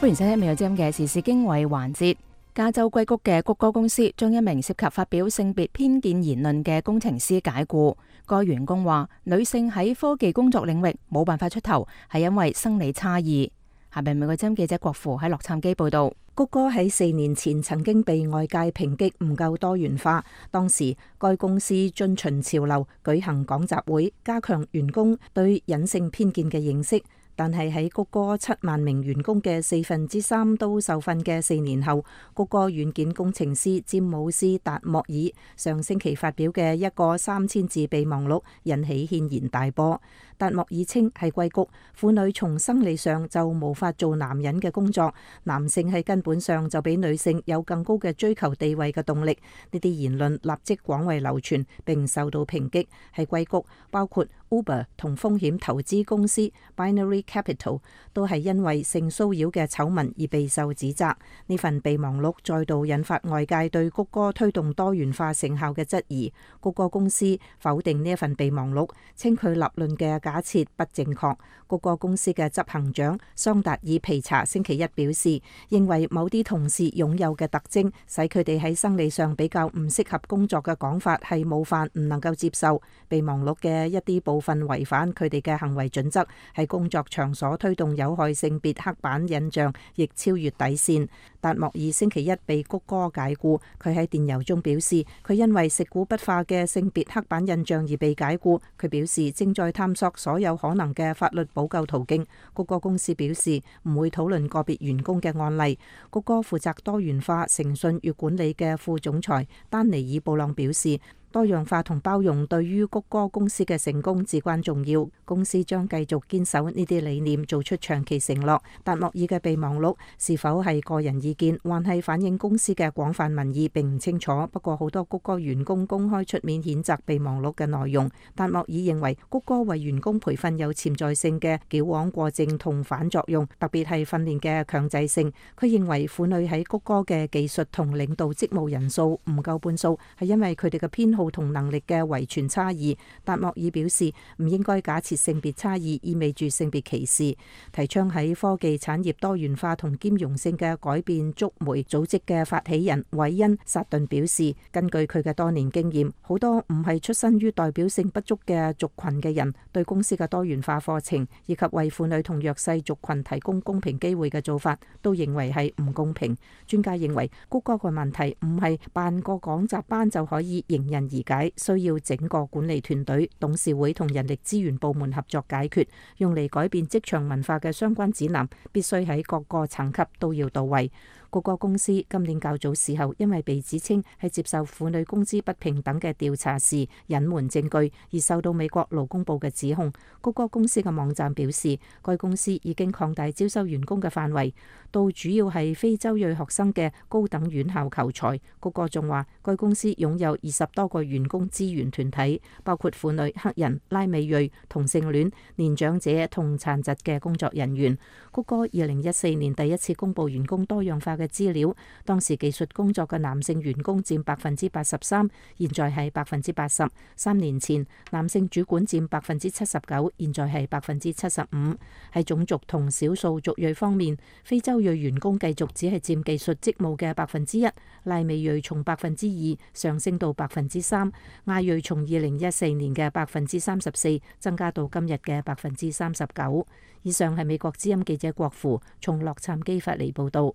歡迎收聽美國之音嘅時事經緯環節。加州硅谷嘅谷歌公司將一名涉及發表性別偏見言論嘅工程師解僱。該員工話，女性喺科技工作領域冇辦法出頭，係因為生理差異。下邊美國之音記者郭芙喺洛杉磯報道。谷歌喺4年前曾經被外界抨擊唔夠多元化，當時該公司遵循潮流舉行講習會，加強員工對隱性偏見嘅認識。但係喺谷歌7萬名員工嘅3/4都受訓嘅4年後，谷歌軟件工程師詹姆斯達莫爾上星期發表嘅一個3000字備忘錄引起軒然大波。達莫爾稱係硅谷婦女從生理上就無法做男人嘅工作，男性喺根本上就比女性有更高嘅追求地位嘅動力。呢啲言論立即廣為流傳並受到抨擊。喺硅谷，包括 Uber 同風險投資公司 Binary Capital 都係因為性騷擾嘅醜聞而備受指責。呢份備忘錄再度引發外界對谷歌推動多元化成效嘅質疑。谷歌公司否定呢一份備忘錄，稱佢立論嘅假設不正確。谷歌公司嘅執行長桑達爾皮查星期一表示，認為某啲同事擁有嘅特徵使佢哋喺生理上比較唔適合工作嘅講法係冒犯，唔能夠接受。備忘錄嘅一啲部分違反佢哋嘅行為準則，喺工作場所推動有害性別刻板印象，亦超越底線。達莫爾星期一被谷歌解僱，佢喺電郵中表示，佢因為食古不化嘅性別刻板印象而被解僱。佢表示正在探索所有可能嘅法律補救途徑。谷歌公司表示唔會討論個別員工嘅案例。谷歌負責多元化誠信與管理嘅副總裁丹尼爾布朗表示，多樣化同包容對於谷歌公司嘅成功至關重要。公司將繼續堅守呢啲理念，做出長期承諾。達莫爾嘅備忘錄是否係個人意見，還係反映公司嘅廣泛民意，並唔清楚。不過好多谷歌員工公開出面譴責備忘錄嘅內容。達莫爾認為谷歌為員工培訓有潛在性嘅矯枉過正同反作用，特別係訓練嘅強制性。佢認為婦女喺谷歌嘅技術同領導職務人數唔夠半數，係因為佢哋嘅偏好同能力嘅遺傳差異。達莫爾表示唔應該假設性別差異意味住性別歧視。提倡喺科技產業多元化同兼容性嘅改變觸媒組織嘅發起人韋恩薩頓表示，根據佢嘅多年經驗，好多唔係出身於代表性不足嘅族群嘅人對公司嘅多元化課程以及為婦女同弱勢族群提供公平機會嘅做法都認為係唔公平。專家認為谷歌嘅問題唔係辦個講習班就可以迎刃而解，需要整個管理團隊、董事會同人力資源部門合作解決。用嚟改變職場文化嘅相關指南必須喺各個層級都要到位。谷歌公司今年較早時候因為被指稱係接受婦女工資不平等嘅調查時隱瞞證據，而受到美國勞工部嘅指控。谷歌公司嘅網站表示，該公司已經擴大招收員工嘅範圍，到主要係非洲裔學生嘅高等院校求才。谷歌仲話，該公司擁有20多個員工資源團體，包括婦女、黑人、拉美裔、同性戀、年長者同殘疾嘅工作人員。谷歌2014年第一次公布員工多樣化嘅資料，當時技術工作嘅男性員工佔83%，現在係80%。3年前，男性主管佔79%，現在係75%。喺種族同少數族裔方面，非洲裔員工繼續只係佔技術職務嘅1%，拉美裔從2%上升到3%，亞裔從2014年嘅34%增加到今日嘅39%。以上係美國之音記者郭芙從洛杉磯發嚟報道。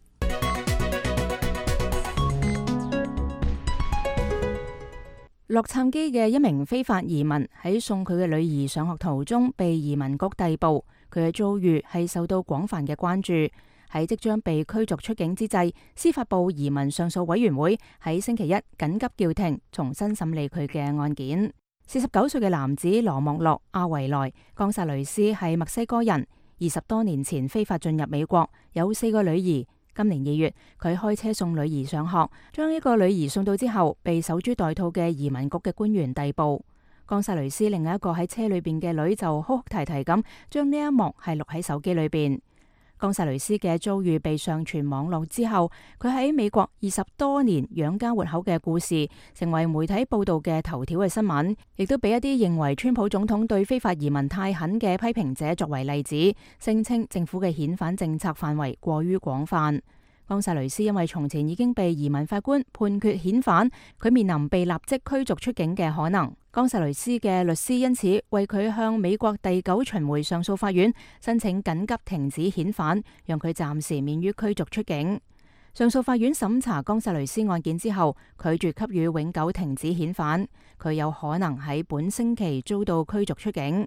洛杉磯嘅一名非法移民喺送佢嘅女兒上學途中被移民局逮捕，佢嘅遭遇係受到廣泛嘅關注。喺即將被驅逐出境之際，司法部移民上訴委員會喺星期一緊急叫停，重新審理佢嘅案件。49歲嘅男子羅莫洛·阿維萊·岡薩雷斯係墨西哥人，20多年前非法進入美國，有4個女兒。今年2月，佢開車送女兒上學，將一個女兒送到之後，被守株待兔嘅移民局嘅官員逮捕。岡薩雷斯另一個喺車裏邊嘅女就哭哭啼啼咁，將呢一幕係錄喺手機裏邊。岡薩雷斯嘅遭遇被上傳網絡之後，佢喺美國20多年養家活口嘅故事，成為媒體報道嘅頭條嘅新聞，亦都俾一啲認為川普總統對非法移民太狠嘅批評者作為例子，聲稱政府嘅遣返政策範圍過於廣泛。岡薩雷斯因為從前已經被移民法官判決遣返，佢面臨被立即驅逐出境嘅可能。岡薩雷斯嘅律師因此為佢向美國第9巡迴上訴法院申請緊急停止遣返，讓佢暫時免於驅逐出境。上訴法院審查岡薩雷斯案件之後，拒絕給予永久停止遣返，佢有可能喺本星期遭到驅逐出境。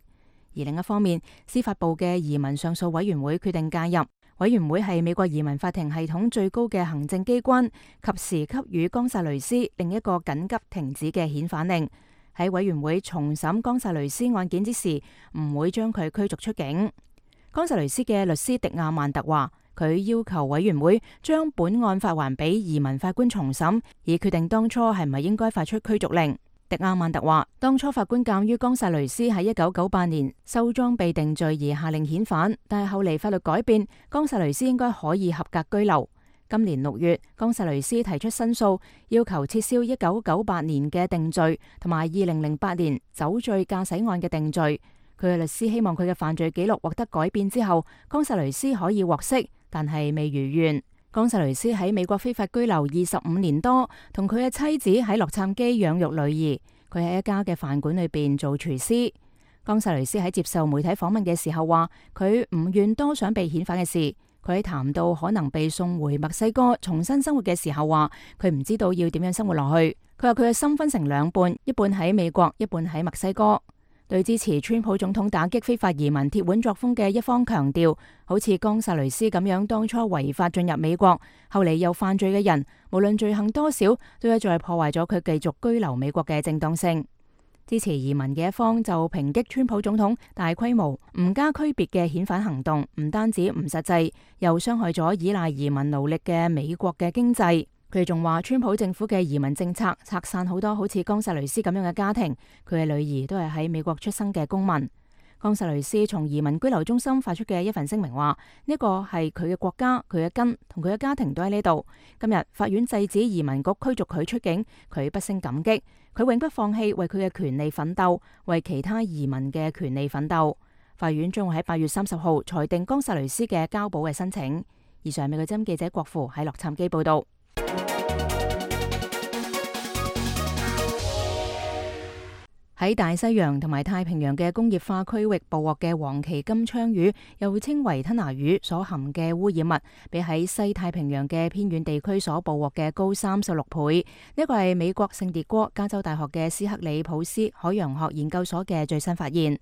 而另一方面，司法部嘅移民上訴委員會決定介入。委員會係美國移民法庭系統最高嘅行政機關，及時給予岡薩雷斯另一個緊急停止嘅遣返令。喺委員會重審岡薩雷斯案件之時，唔會將佢驅逐出境。岡薩雷斯嘅律師迪亞曼特話，佢要求委員會將本案發還俾移民法官重審，以決定當初係咪應該發出驅逐令。迪亞曼特話，當初法官鑑於岡薩雷斯喺1998年收裝備定罪而下令遣返，但係後嚟法律改變，岡薩雷斯應該可以合格居留。今年6月，岡薩雷斯提出申訴，要求撤銷1998年嘅定罪同埋2008年酒醉駕駛案嘅定罪。佢嘅律師希望佢嘅犯罪記錄獲得改變之後，岡薩雷斯可以獲釋，但係未如願。岡薩雷斯喺美國非法居留25年多，同佢嘅妻子喺洛杉磯養育女兒。佢喺一家嘅飯館裏邊做廚師。岡薩雷斯喺接受媒體訪問嘅時候話，佢唔願多想被遣返嘅事。佢喺談到可能被送回墨西哥重新生活嘅時候話，佢唔知道要點樣生活落去。佢話佢嘅心分成兩半，一半喺美國，一半喺墨西哥。對支持川普總統打擊非法移民鐵腕作風嘅一方強調，好似岡薩雷斯咁樣當初違法進入美國，後嚟又犯罪嘅人，無論罪行多少，都一再破壞咗佢繼續居留美國嘅正當性。支持移民嘅一方就抨擊川普總統大規模唔加區別嘅遣返行動，唔單止唔實際，又傷害咗依賴移民勞力嘅美國嘅經濟。佢哋仲話，川普政府嘅移民政策拆散好多好似岡薩雷斯咁樣嘅家庭，佢嘅女兒都係喺美國出生嘅公民。岡薩雷斯從移民居留中心發出嘅一份聲明話，呢個係佢嘅國家，佢嘅根同佢嘅家庭都喺呢度。今日法院制止移民局驅逐佢出境，佢不勝感激，佢永不放棄為佢嘅權利奮鬥，為其他移民嘅權利奮鬥。法院將會喺8月30號裁定岡薩雷斯嘅交保嘅申請。以上美國之音記者郭芙喺洛杉磯報道。喺大西洋同埋太平洋嘅工業化區域捕獲嘅黃鰭金槍魚，又稱為吞拿魚，所含嘅污染物比喺西太平洋嘅偏遠地區所捕獲嘅高36倍。呢個係美國聖迭戈加州大學嘅斯克里普斯海洋學研究所嘅最新發現。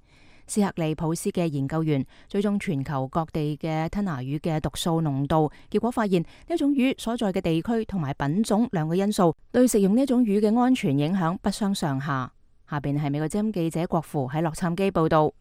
斯克里普斯嘅研究員追蹤全球各地嘅吞拿魚嘅毒素濃度，結果發現呢種魚所在嘅地區同埋品種兩個因素對食用呢種魚嘅安全影響不相上下。下邊係美國之音記者郭芙喺洛杉磯報道。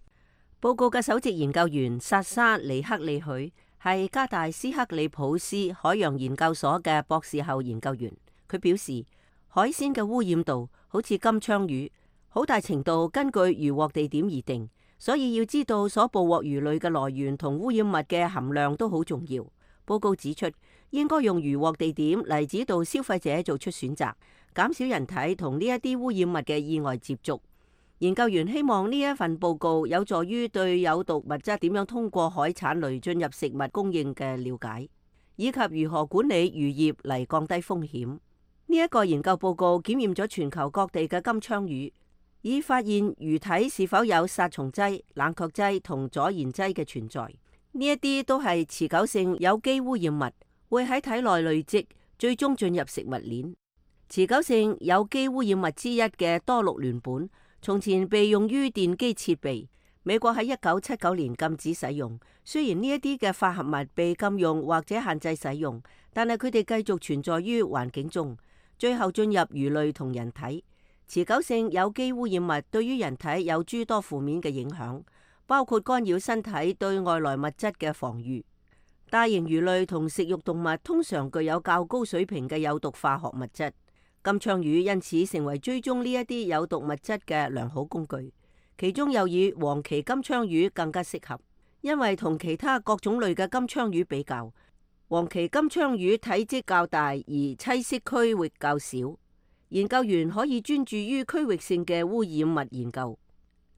報告嘅首席研究員薩沙尼克利許係加大斯克里普斯海洋研究所嘅博士後研究員。佢表示，海鮮嘅污染度好似金槍魚，好大程度根據漁獲地點而定，所以要知道所捕獲魚類嘅來源同污染物嘅含量都好重要。報告指出，應該用漁獲地點嚟指導消費者做出選擇，減少人體同呢一啲污染物嘅意外接觸。研究員希望呢一份報告有助於對有毒物質點樣通過海產類進入食物供應嘅了解，以及如何管理漁業嚟降低風險。呢一個研究報告檢驗咗全球各地嘅金槍魚，以發現魚體是否有殺蟲劑、冷卻劑同阻燃劑嘅存在。呢一啲都係持久性有機污染物，會喺體內累積，最終進入食物鏈。持久性有機污染物之一嘅多氯聯苯，從前被用於電機設備。美國喺1979年禁止使用，雖然呢一啲嘅化合物被禁用或者限制使用，但係佢哋繼續存在於環境中，最後進入魚類同人體。持久性有機污染物對於人體有諸多負面嘅影響，包括干擾身體對外來物質嘅防禦。大型魚類同食肉動物通常具有較高水平嘅有毒化學物質，金槍魚因此成為追蹤呢一啲有毒物質嘅良好工具。其中又以黃鰭金槍魚更加適合，因為同其他各種類嘅金槍魚比較，黃鰭金槍魚體積較大而棲息區域較少。研究員可以專注於區域性嘅污染物研究。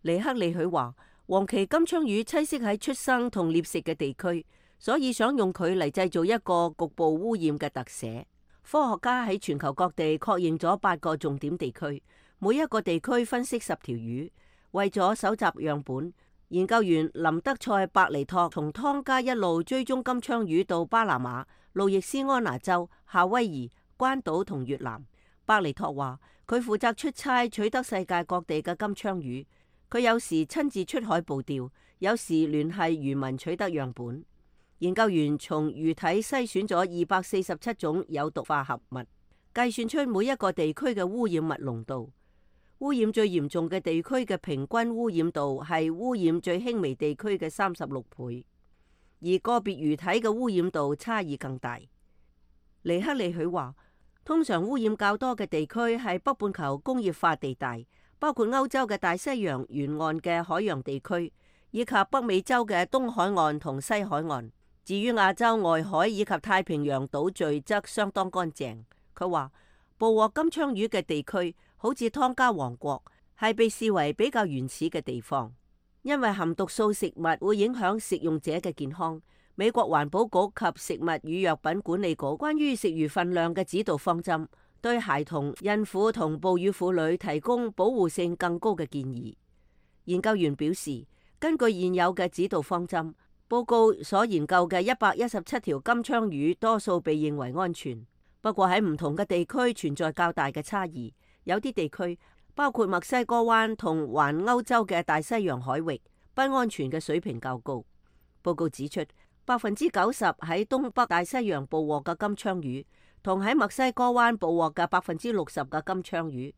尼克利許話，黃鰭金槍魚棲息喺出生同獵食嘅地區，所以想用佢嚟製造一個局部污染嘅特寫。科學家喺全球各地確認咗8個重點地區，每一個地區分析10條魚。為咗搜集樣本，研究員林德塞伯尼托從湯加一路追蹤金槍魚到巴拿馬、路易斯安那州、夏威夷、關島同越南。伯尼托話，佢負責出差取得世界各地嘅金槍魚，佢有時親自出海捕釣，有時聯繫漁民取得樣本。研究員從魚體篩選咗247種有毒化合物，計算出每一個地區嘅污染物濃度。污染最嚴重嘅地區嘅平均污染度係污染最輕微地區嘅36倍，而個別魚體嘅污染度差異更大。尼克利許話，通常污染較多嘅地區係北半球工業化地帶，包括歐洲嘅大西洋沿岸嘅海洋地區，以及北美洲嘅東海岸同西海岸。至於亞洲外海以及太平洋島嶼則相當乾淨。佢話，捕獲金槍魚嘅地區好似湯加王國，係被視為比較原始嘅地方，因為含毒素食物會影響食用者嘅健康。美國環保局及食物與藥品管理局關於食魚份量嘅指導方針，對孩童、孕婦同哺乳婦女提供保護性更高嘅建議。研究員表示，根據現有嘅指導方針，報告所研究嘅117條金槍魚多數被認為安全，不過喺唔同嘅地區存在較大嘅差異。有啲地區，包括墨西哥灣同環歐洲嘅大西洋海域，不安全嘅水平較高。報告指出，90%喺東北大西洋捕獲嘅金槍魚，同喺墨西哥灣捕獲嘅60%嘅金槍魚，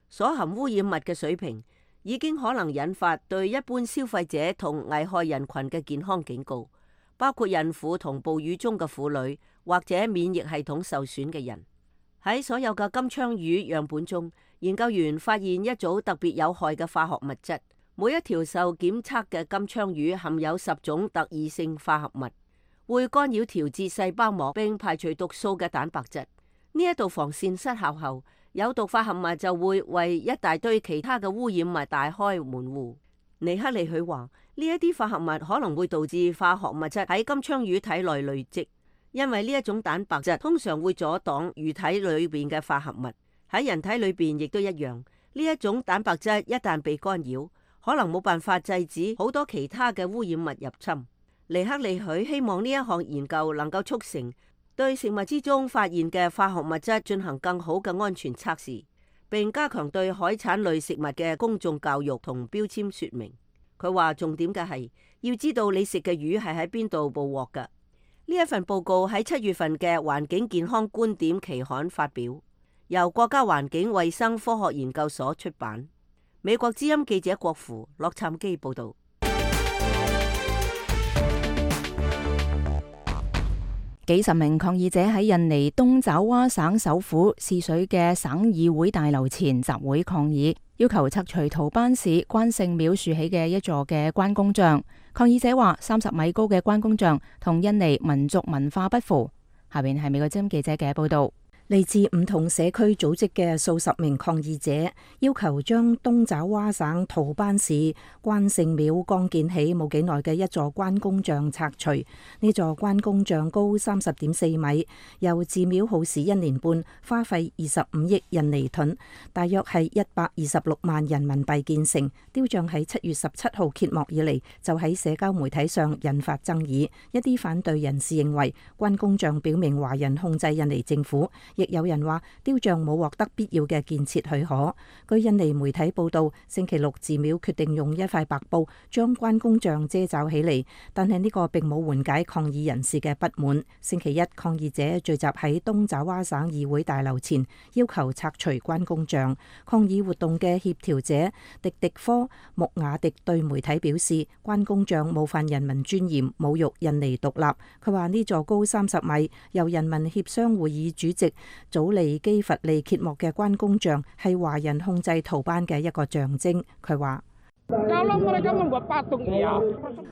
所含污染物嘅水平已經可能引發對一般消費者同危害人群嘅健康警告，包括孕婦同哺乳中嘅婦女或者免疫系統受損嘅人。喺所有嘅金槍魚樣本中，研究員發現一組特別有害嘅化學物質。每一條受檢測嘅金槍魚含有10種特異性化合物，會干擾調節細胞膜並排除毒素嘅蛋白質。呢一道防線失效後，有毒化合物就會為一大堆其他嘅污染物大開門戶。尼克利許話，呢一啲化合物可能會導致化學物質喺金槍魚體內累積。因為呢一種蛋白質通常會阻擋魚體裏邊嘅化合物，喺人體裏邊亦都一樣。呢一種蛋白質一旦被干擾，可能冇辦法制止好多其他嘅污染物入侵。尼克利許希望呢一項研究能夠促成對食物之中發現嘅化學物質進行更好嘅安全測試，並加強對海產類食物嘅公眾教育同標籤說明。佢話重點嘅係要知道你食嘅魚係喺邊度捕獲㗎。呢一份報告喺7月份嘅《環境健康觀點》期刊發表，由國家環境衛生科學研究所出版。美國之音記者郭芙、洛杉磯報道。幾十名抗議者喺印尼東爪哇省首府泗水嘅省議會大樓前集會抗議，要求拆除圖班市關聖廟豎起嘅一座嘅關公像。抗議者話30米高嘅關公像同印尼民族文化不符。下邊係美國之音記者嘅報道。嚟自唔同社區組織嘅數十名抗議者要求將東爪哇省圖班市關聖廟剛建起冇幾耐嘅一座關公像拆除。呢座關公像高30.4米，由寺廟耗時1年半，花費25億印尼盾，大約係126萬人民幣建成。雕像喺7月17號揭幕以嚟，就喺社交媒體上引發爭議。一啲反對人士認為關公像表明華人控制印尼政府，亦有人話雕像冇獲得必要嘅建設許可。據印尼媒體報道，星期六寺廟決定用一塊白布將關公像遮罩起嚟，但係呢個並冇緩解抗議人士嘅不滿。星期一，抗議者聚集喺東爪哇省議會大樓前，要求拆除關公像。抗議活動嘅協調者迪迪科穆雅迪對媒體表示，關公像冒犯人民尊嚴，侮辱印尼獨立。佢話呢座高30米，由人民協商會議主席祖利基佛利揭幕嘅關公像係華人控制圖班嘅一個象徵。佢話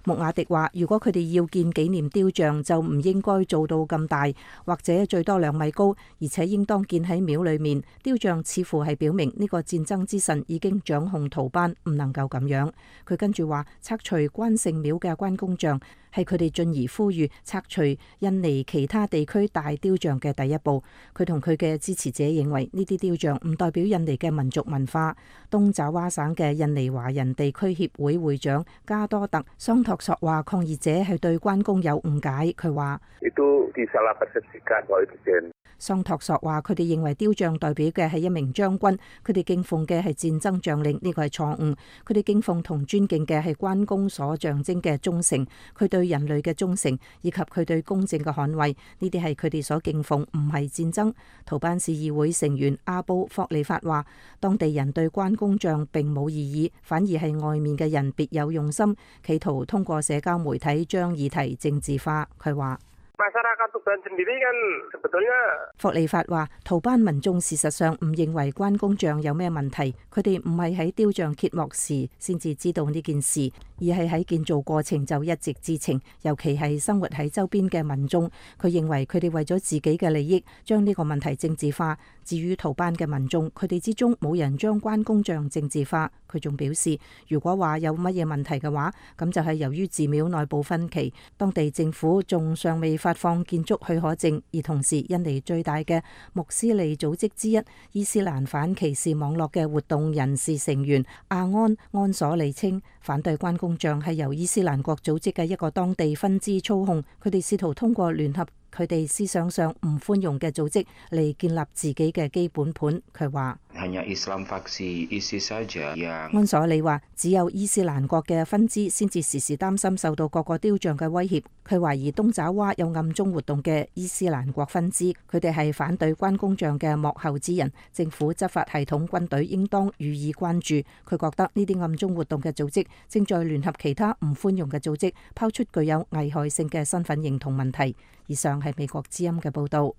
穆雅迪話，如果佢哋要建紀念雕像，就唔應該做到咁大，或者最多2米高，而且應當建喺廟裏面。雕像似乎係表明呢個戰爭之神已經掌控圖班，唔能夠咁樣。佢跟住話，拆除關聖廟嘅關公像係佢哋進而呼籲拆除印尼其他地區大雕像嘅第一步。佢同佢嘅支持者認為呢啲雕像唔代表印尼嘅民族文化。東爪哇省嘅印尼華人地區協會會長加多特桑托索話，抗議者係對關公有誤解。佢話桑托索話，佢哋認為雕像代表嘅係一名將軍，佢哋敬奉嘅係戰爭將領，呢個係錯誤。佢哋敬奉同尊敬嘅係關公所象徵嘅忠誠，佢對人類嘅忠誠，以及佢對公正嘅捍衛，呢啲係佢哋所敬奉，唔係戰爭。圖班市議會成員阿布霍利法話，當地人對關公像並冇異議，反而係外面嘅人別有用心，企圖通過社交媒體將議題政治化。佢話霍利法話，圖班民眾事實上唔認為關公像有咩問題，佢哋唔係喺雕像揭幕時先至知道呢件事，而係喺建造過程就一直知情，尤其係生活喺周邊嘅民眾。佢認為佢哋為咗自己嘅利益將呢個問題政治化。至於圖班嘅民眾，佢哋之中冇人將關公像政治化。佢仲表示，如果話有乜嘢問題嘅話，咁就係由於寺廟內部分歧，當地政府仲尚未發放建築許可證，而同時印尼最大嘅穆斯利組織之一伊斯蘭反歧視網絡嘅活動人士成員阿安索利稱，反對關公像係由伊斯蘭國組織嘅一個當地分支操控，佢哋試圖通過聯合佢哋思想上唔寬容嘅組織嚟建立自己嘅基本盤。佢話安索里話，只有伊斯蘭國嘅分支先至時時擔心受到各個雕像嘅威脅。佢懷疑東爪哇有暗中活動嘅伊斯蘭國分支，佢哋係反對關公像嘅幕後之人。政府執法系統軍隊應當予以關注。佢覺得呢啲暗中活動嘅組織正在聯合其他唔寬容嘅組織，拋出具有危害性嘅身份認同問題。以上係美國之音嘅報導。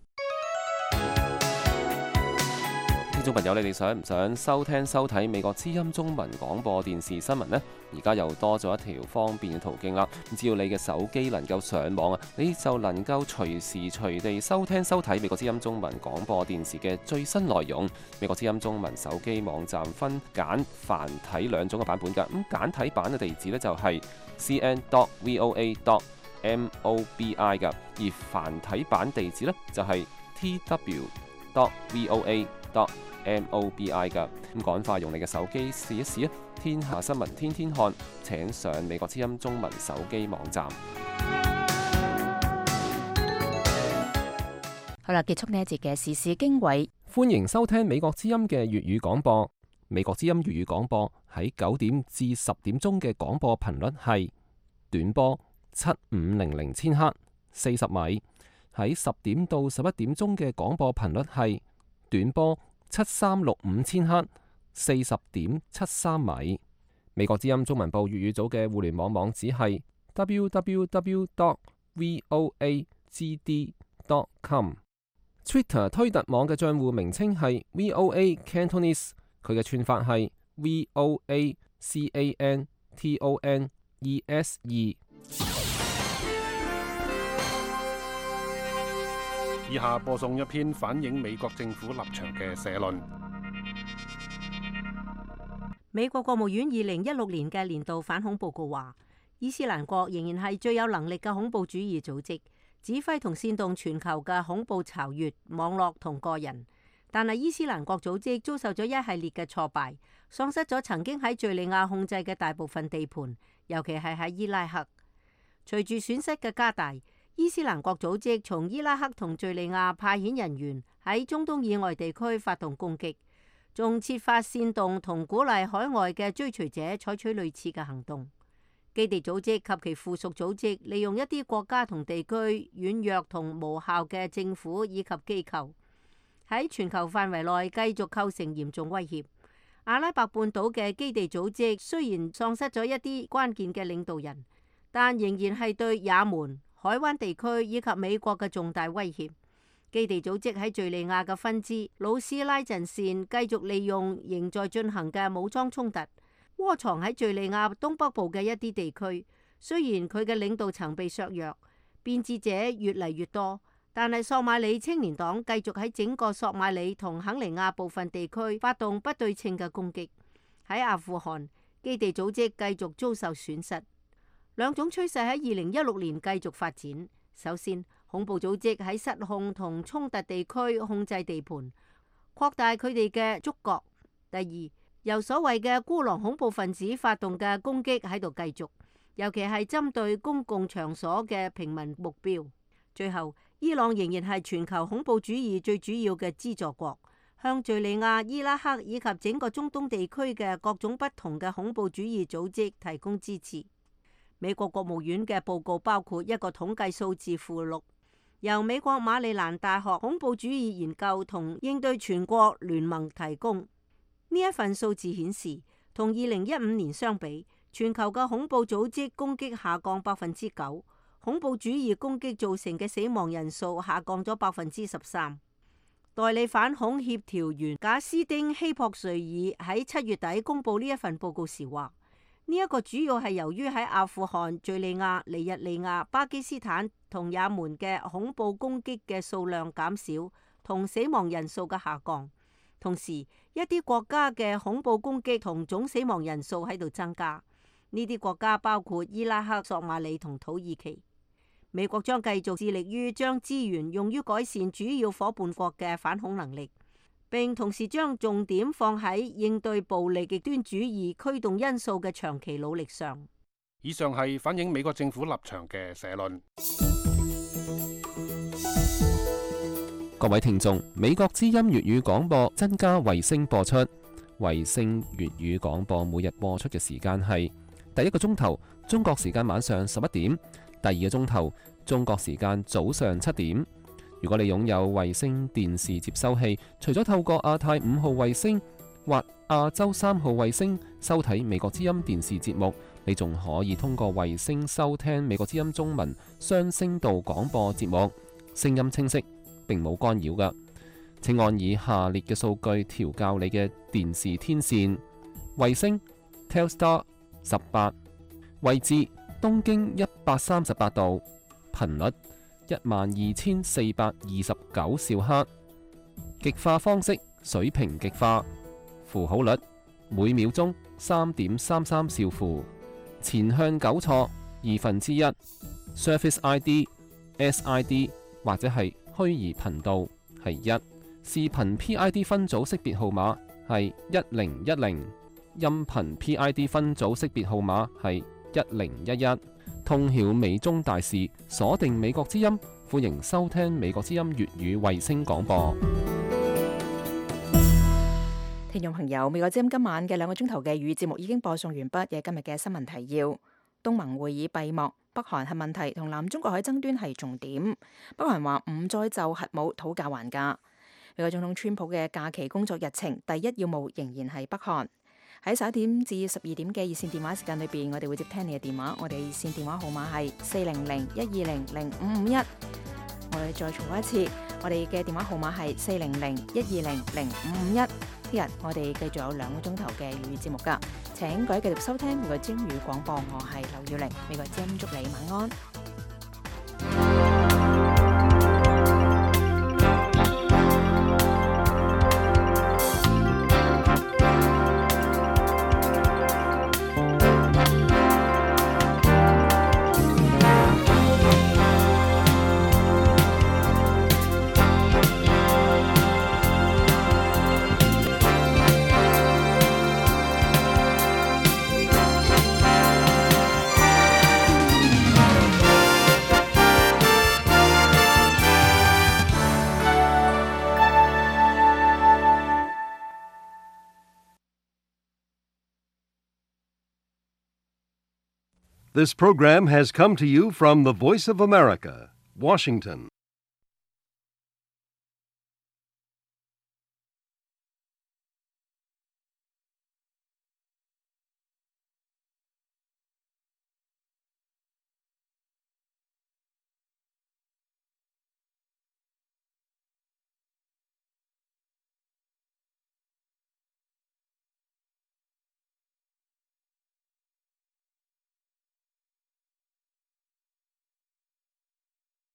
聽眾朋友，你哋想唔想收聽收睇美國之音中文廣播電視新聞呢？而家又多咗一條方便嘅途徑啦。只要你嘅手機能夠上網啊，你就能夠隨時隨地收聽收睇美國之音中文廣播電視嘅最新內容。美國之音中文手機網站分簡繁體2種嘅版本㗎。咁簡體版嘅地址呢，就係 cn.voa.mobi 㗎，而繁體版地址呢，就係 tw.voa.mobi 㗎。咁趕快用你嘅手機試一試啊！天下新聞天天看，請上美國之音中文手機網站。好啦，結束呢一節嘅時事經緯。歡迎收聽美國之音嘅粵語廣播。美國之音粵語廣播喺9點至10點鐘嘅廣播頻率係短波7500千赫40米，喺10點到11點鐘嘅廣播頻率係短波7365千赫40.73米。美國之音中文部粵語組嘅互聯網網址係 www.voagd.com。Twitter 推特網嘅賬戶名稱係 VOA Cantonese， 佢嘅串法係 VOACANTONESE。以下播送一篇反映美國政府立場嘅社論。美國國務院2016年嘅年度反恐報告話，伊斯蘭國仍然係最有能力嘅恐怖主義組織，指揮同煽動全球嘅恐怖巢穴、網絡同個人。但係伊斯蘭國組織遭受咗一系列嘅挫敗，喪失咗曾經喺敘利亞控制嘅大部分地盤，尤其係喺伊拉克。隨住損失嘅加大，伊斯蘭國組織從伊拉克同敘利亞派遣人員喺中東以外地區發動攻擊，仲設法煽動同鼓勵海外嘅追隨者採取類似嘅行動。基地組織及其附屬組織利用一啲國家同地區軟弱同無效嘅政府以及機構，喺全球範圍內繼續構成嚴重威脅。阿拉伯半島嘅基地組織雖然喪失咗一啲關鍵嘅領導人，但仍然係對也門、海灣地區以及美國嘅重大威脅。基地組織喺敘利亞嘅分支魯斯拉陣線繼續利用仍在進行嘅武裝衝突，窩藏喺敘利亞東北部嘅一啲地區。雖然佢嘅領導層被削弱，變節者越嚟越多，但係索馬里青年黨繼續喺整個索馬里同肯尼亞部分地區發動不對稱嘅攻擊。喺阿富汗，基地組織繼續遭受損失。兩種趨勢喺2016年繼續發展。首先，恐怖組織喺失控同衝突地區控制地盤，擴大佢哋嘅觸角。第二，由所謂嘅孤狼恐怖分子發動嘅攻擊喺度繼續，尤其係針對公共場所嘅平民目標。最後，伊朗仍然係全球恐怖主義最主要嘅資助國，向敘利亞、伊拉克以及整個中東地區嘅各種不同嘅恐怖主義組織提供支持。美國國務院嘅報告包括一個統計數字附錄，由美國馬里蘭大學恐怖主義研究同應對全國聯盟提供。呢一份數字顯示，同2015年相比，全球嘅恐怖組織攻擊下降9%，恐怖主義攻擊造成嘅死亡人數下降咗13%。代理反恐協調員賈斯丁希珀瑞爾喺7月底公布呢一份報告時話：呢一個主要係由於喺阿富汗、敘利亞、尼日利亞、巴基斯坦同也門嘅恐怖攻擊嘅數量減少同死亡人數嘅下降。同時，一啲國家嘅恐怖攻擊同總死亡人數喺度增加。呢啲國家包括伊拉克、索馬里同土耳其。美國將繼續致力於將資源用於改善主要夥伴國嘅反恐能力，並同時將重點放喺應對暴力極端主義驅動因素嘅長期努力上。以上係反映美國政府立場嘅社論。各位聽眾，美國之音粵語廣播增加衛星播出。衛星粵語廣播每日播出嘅時間係第一個鐘頭中國時間晚上11點，第二個鐘頭中國時間早上7點。如果你擁有衛星電視接收器，除咗透過亞太5號衛星或亞洲3號衛星收睇美國之音電視節目，你仲可以通過衛星收聽美國之音中文雙聲道廣播節目，聲音清晰，並冇干擾㗎。請按以下列嘅數據調校你嘅電視天線：衛星 Telstar 18，位置東經138度，頻率12429兆赫，極化方式水平極化，符號率每秒鐘3.33兆符，前向糾錯1/2， Surface ID、SID 或者係虛擬頻道係1，視頻 PID 分組識別號碼係1010，音頻 PID 分組識別號碼係1011。通曉美中大事，鎖定美國之音，歡迎收聽美國之音粵語衛星廣播。聽眾朋友，美國之音今晚嘅2個鐘頭嘅粵語節目已經播送完畢嘅今日嘅新聞提要。東盟會議閉幕，北韓核問題同南中國海爭端係重點。北韓話唔再就核武討價還價。美國總統川普嘅假期工作日程第一要務仍然係北韓。喺11點至12點嘅熱線電話時間裏邊，我哋會接聽你嘅電話。我哋熱線電話號碼係400-120-0551。我哋再重複一次，我哋嘅電話號碼係400-120-0551。聽日我哋繼續有2個鐘頭嘅粵語節目㗎。請各位繼續收聽美國之音粵語廣播，我係劉耀玲。美國之音祝你晚安。This program has come to you from the Voice of America, Washington.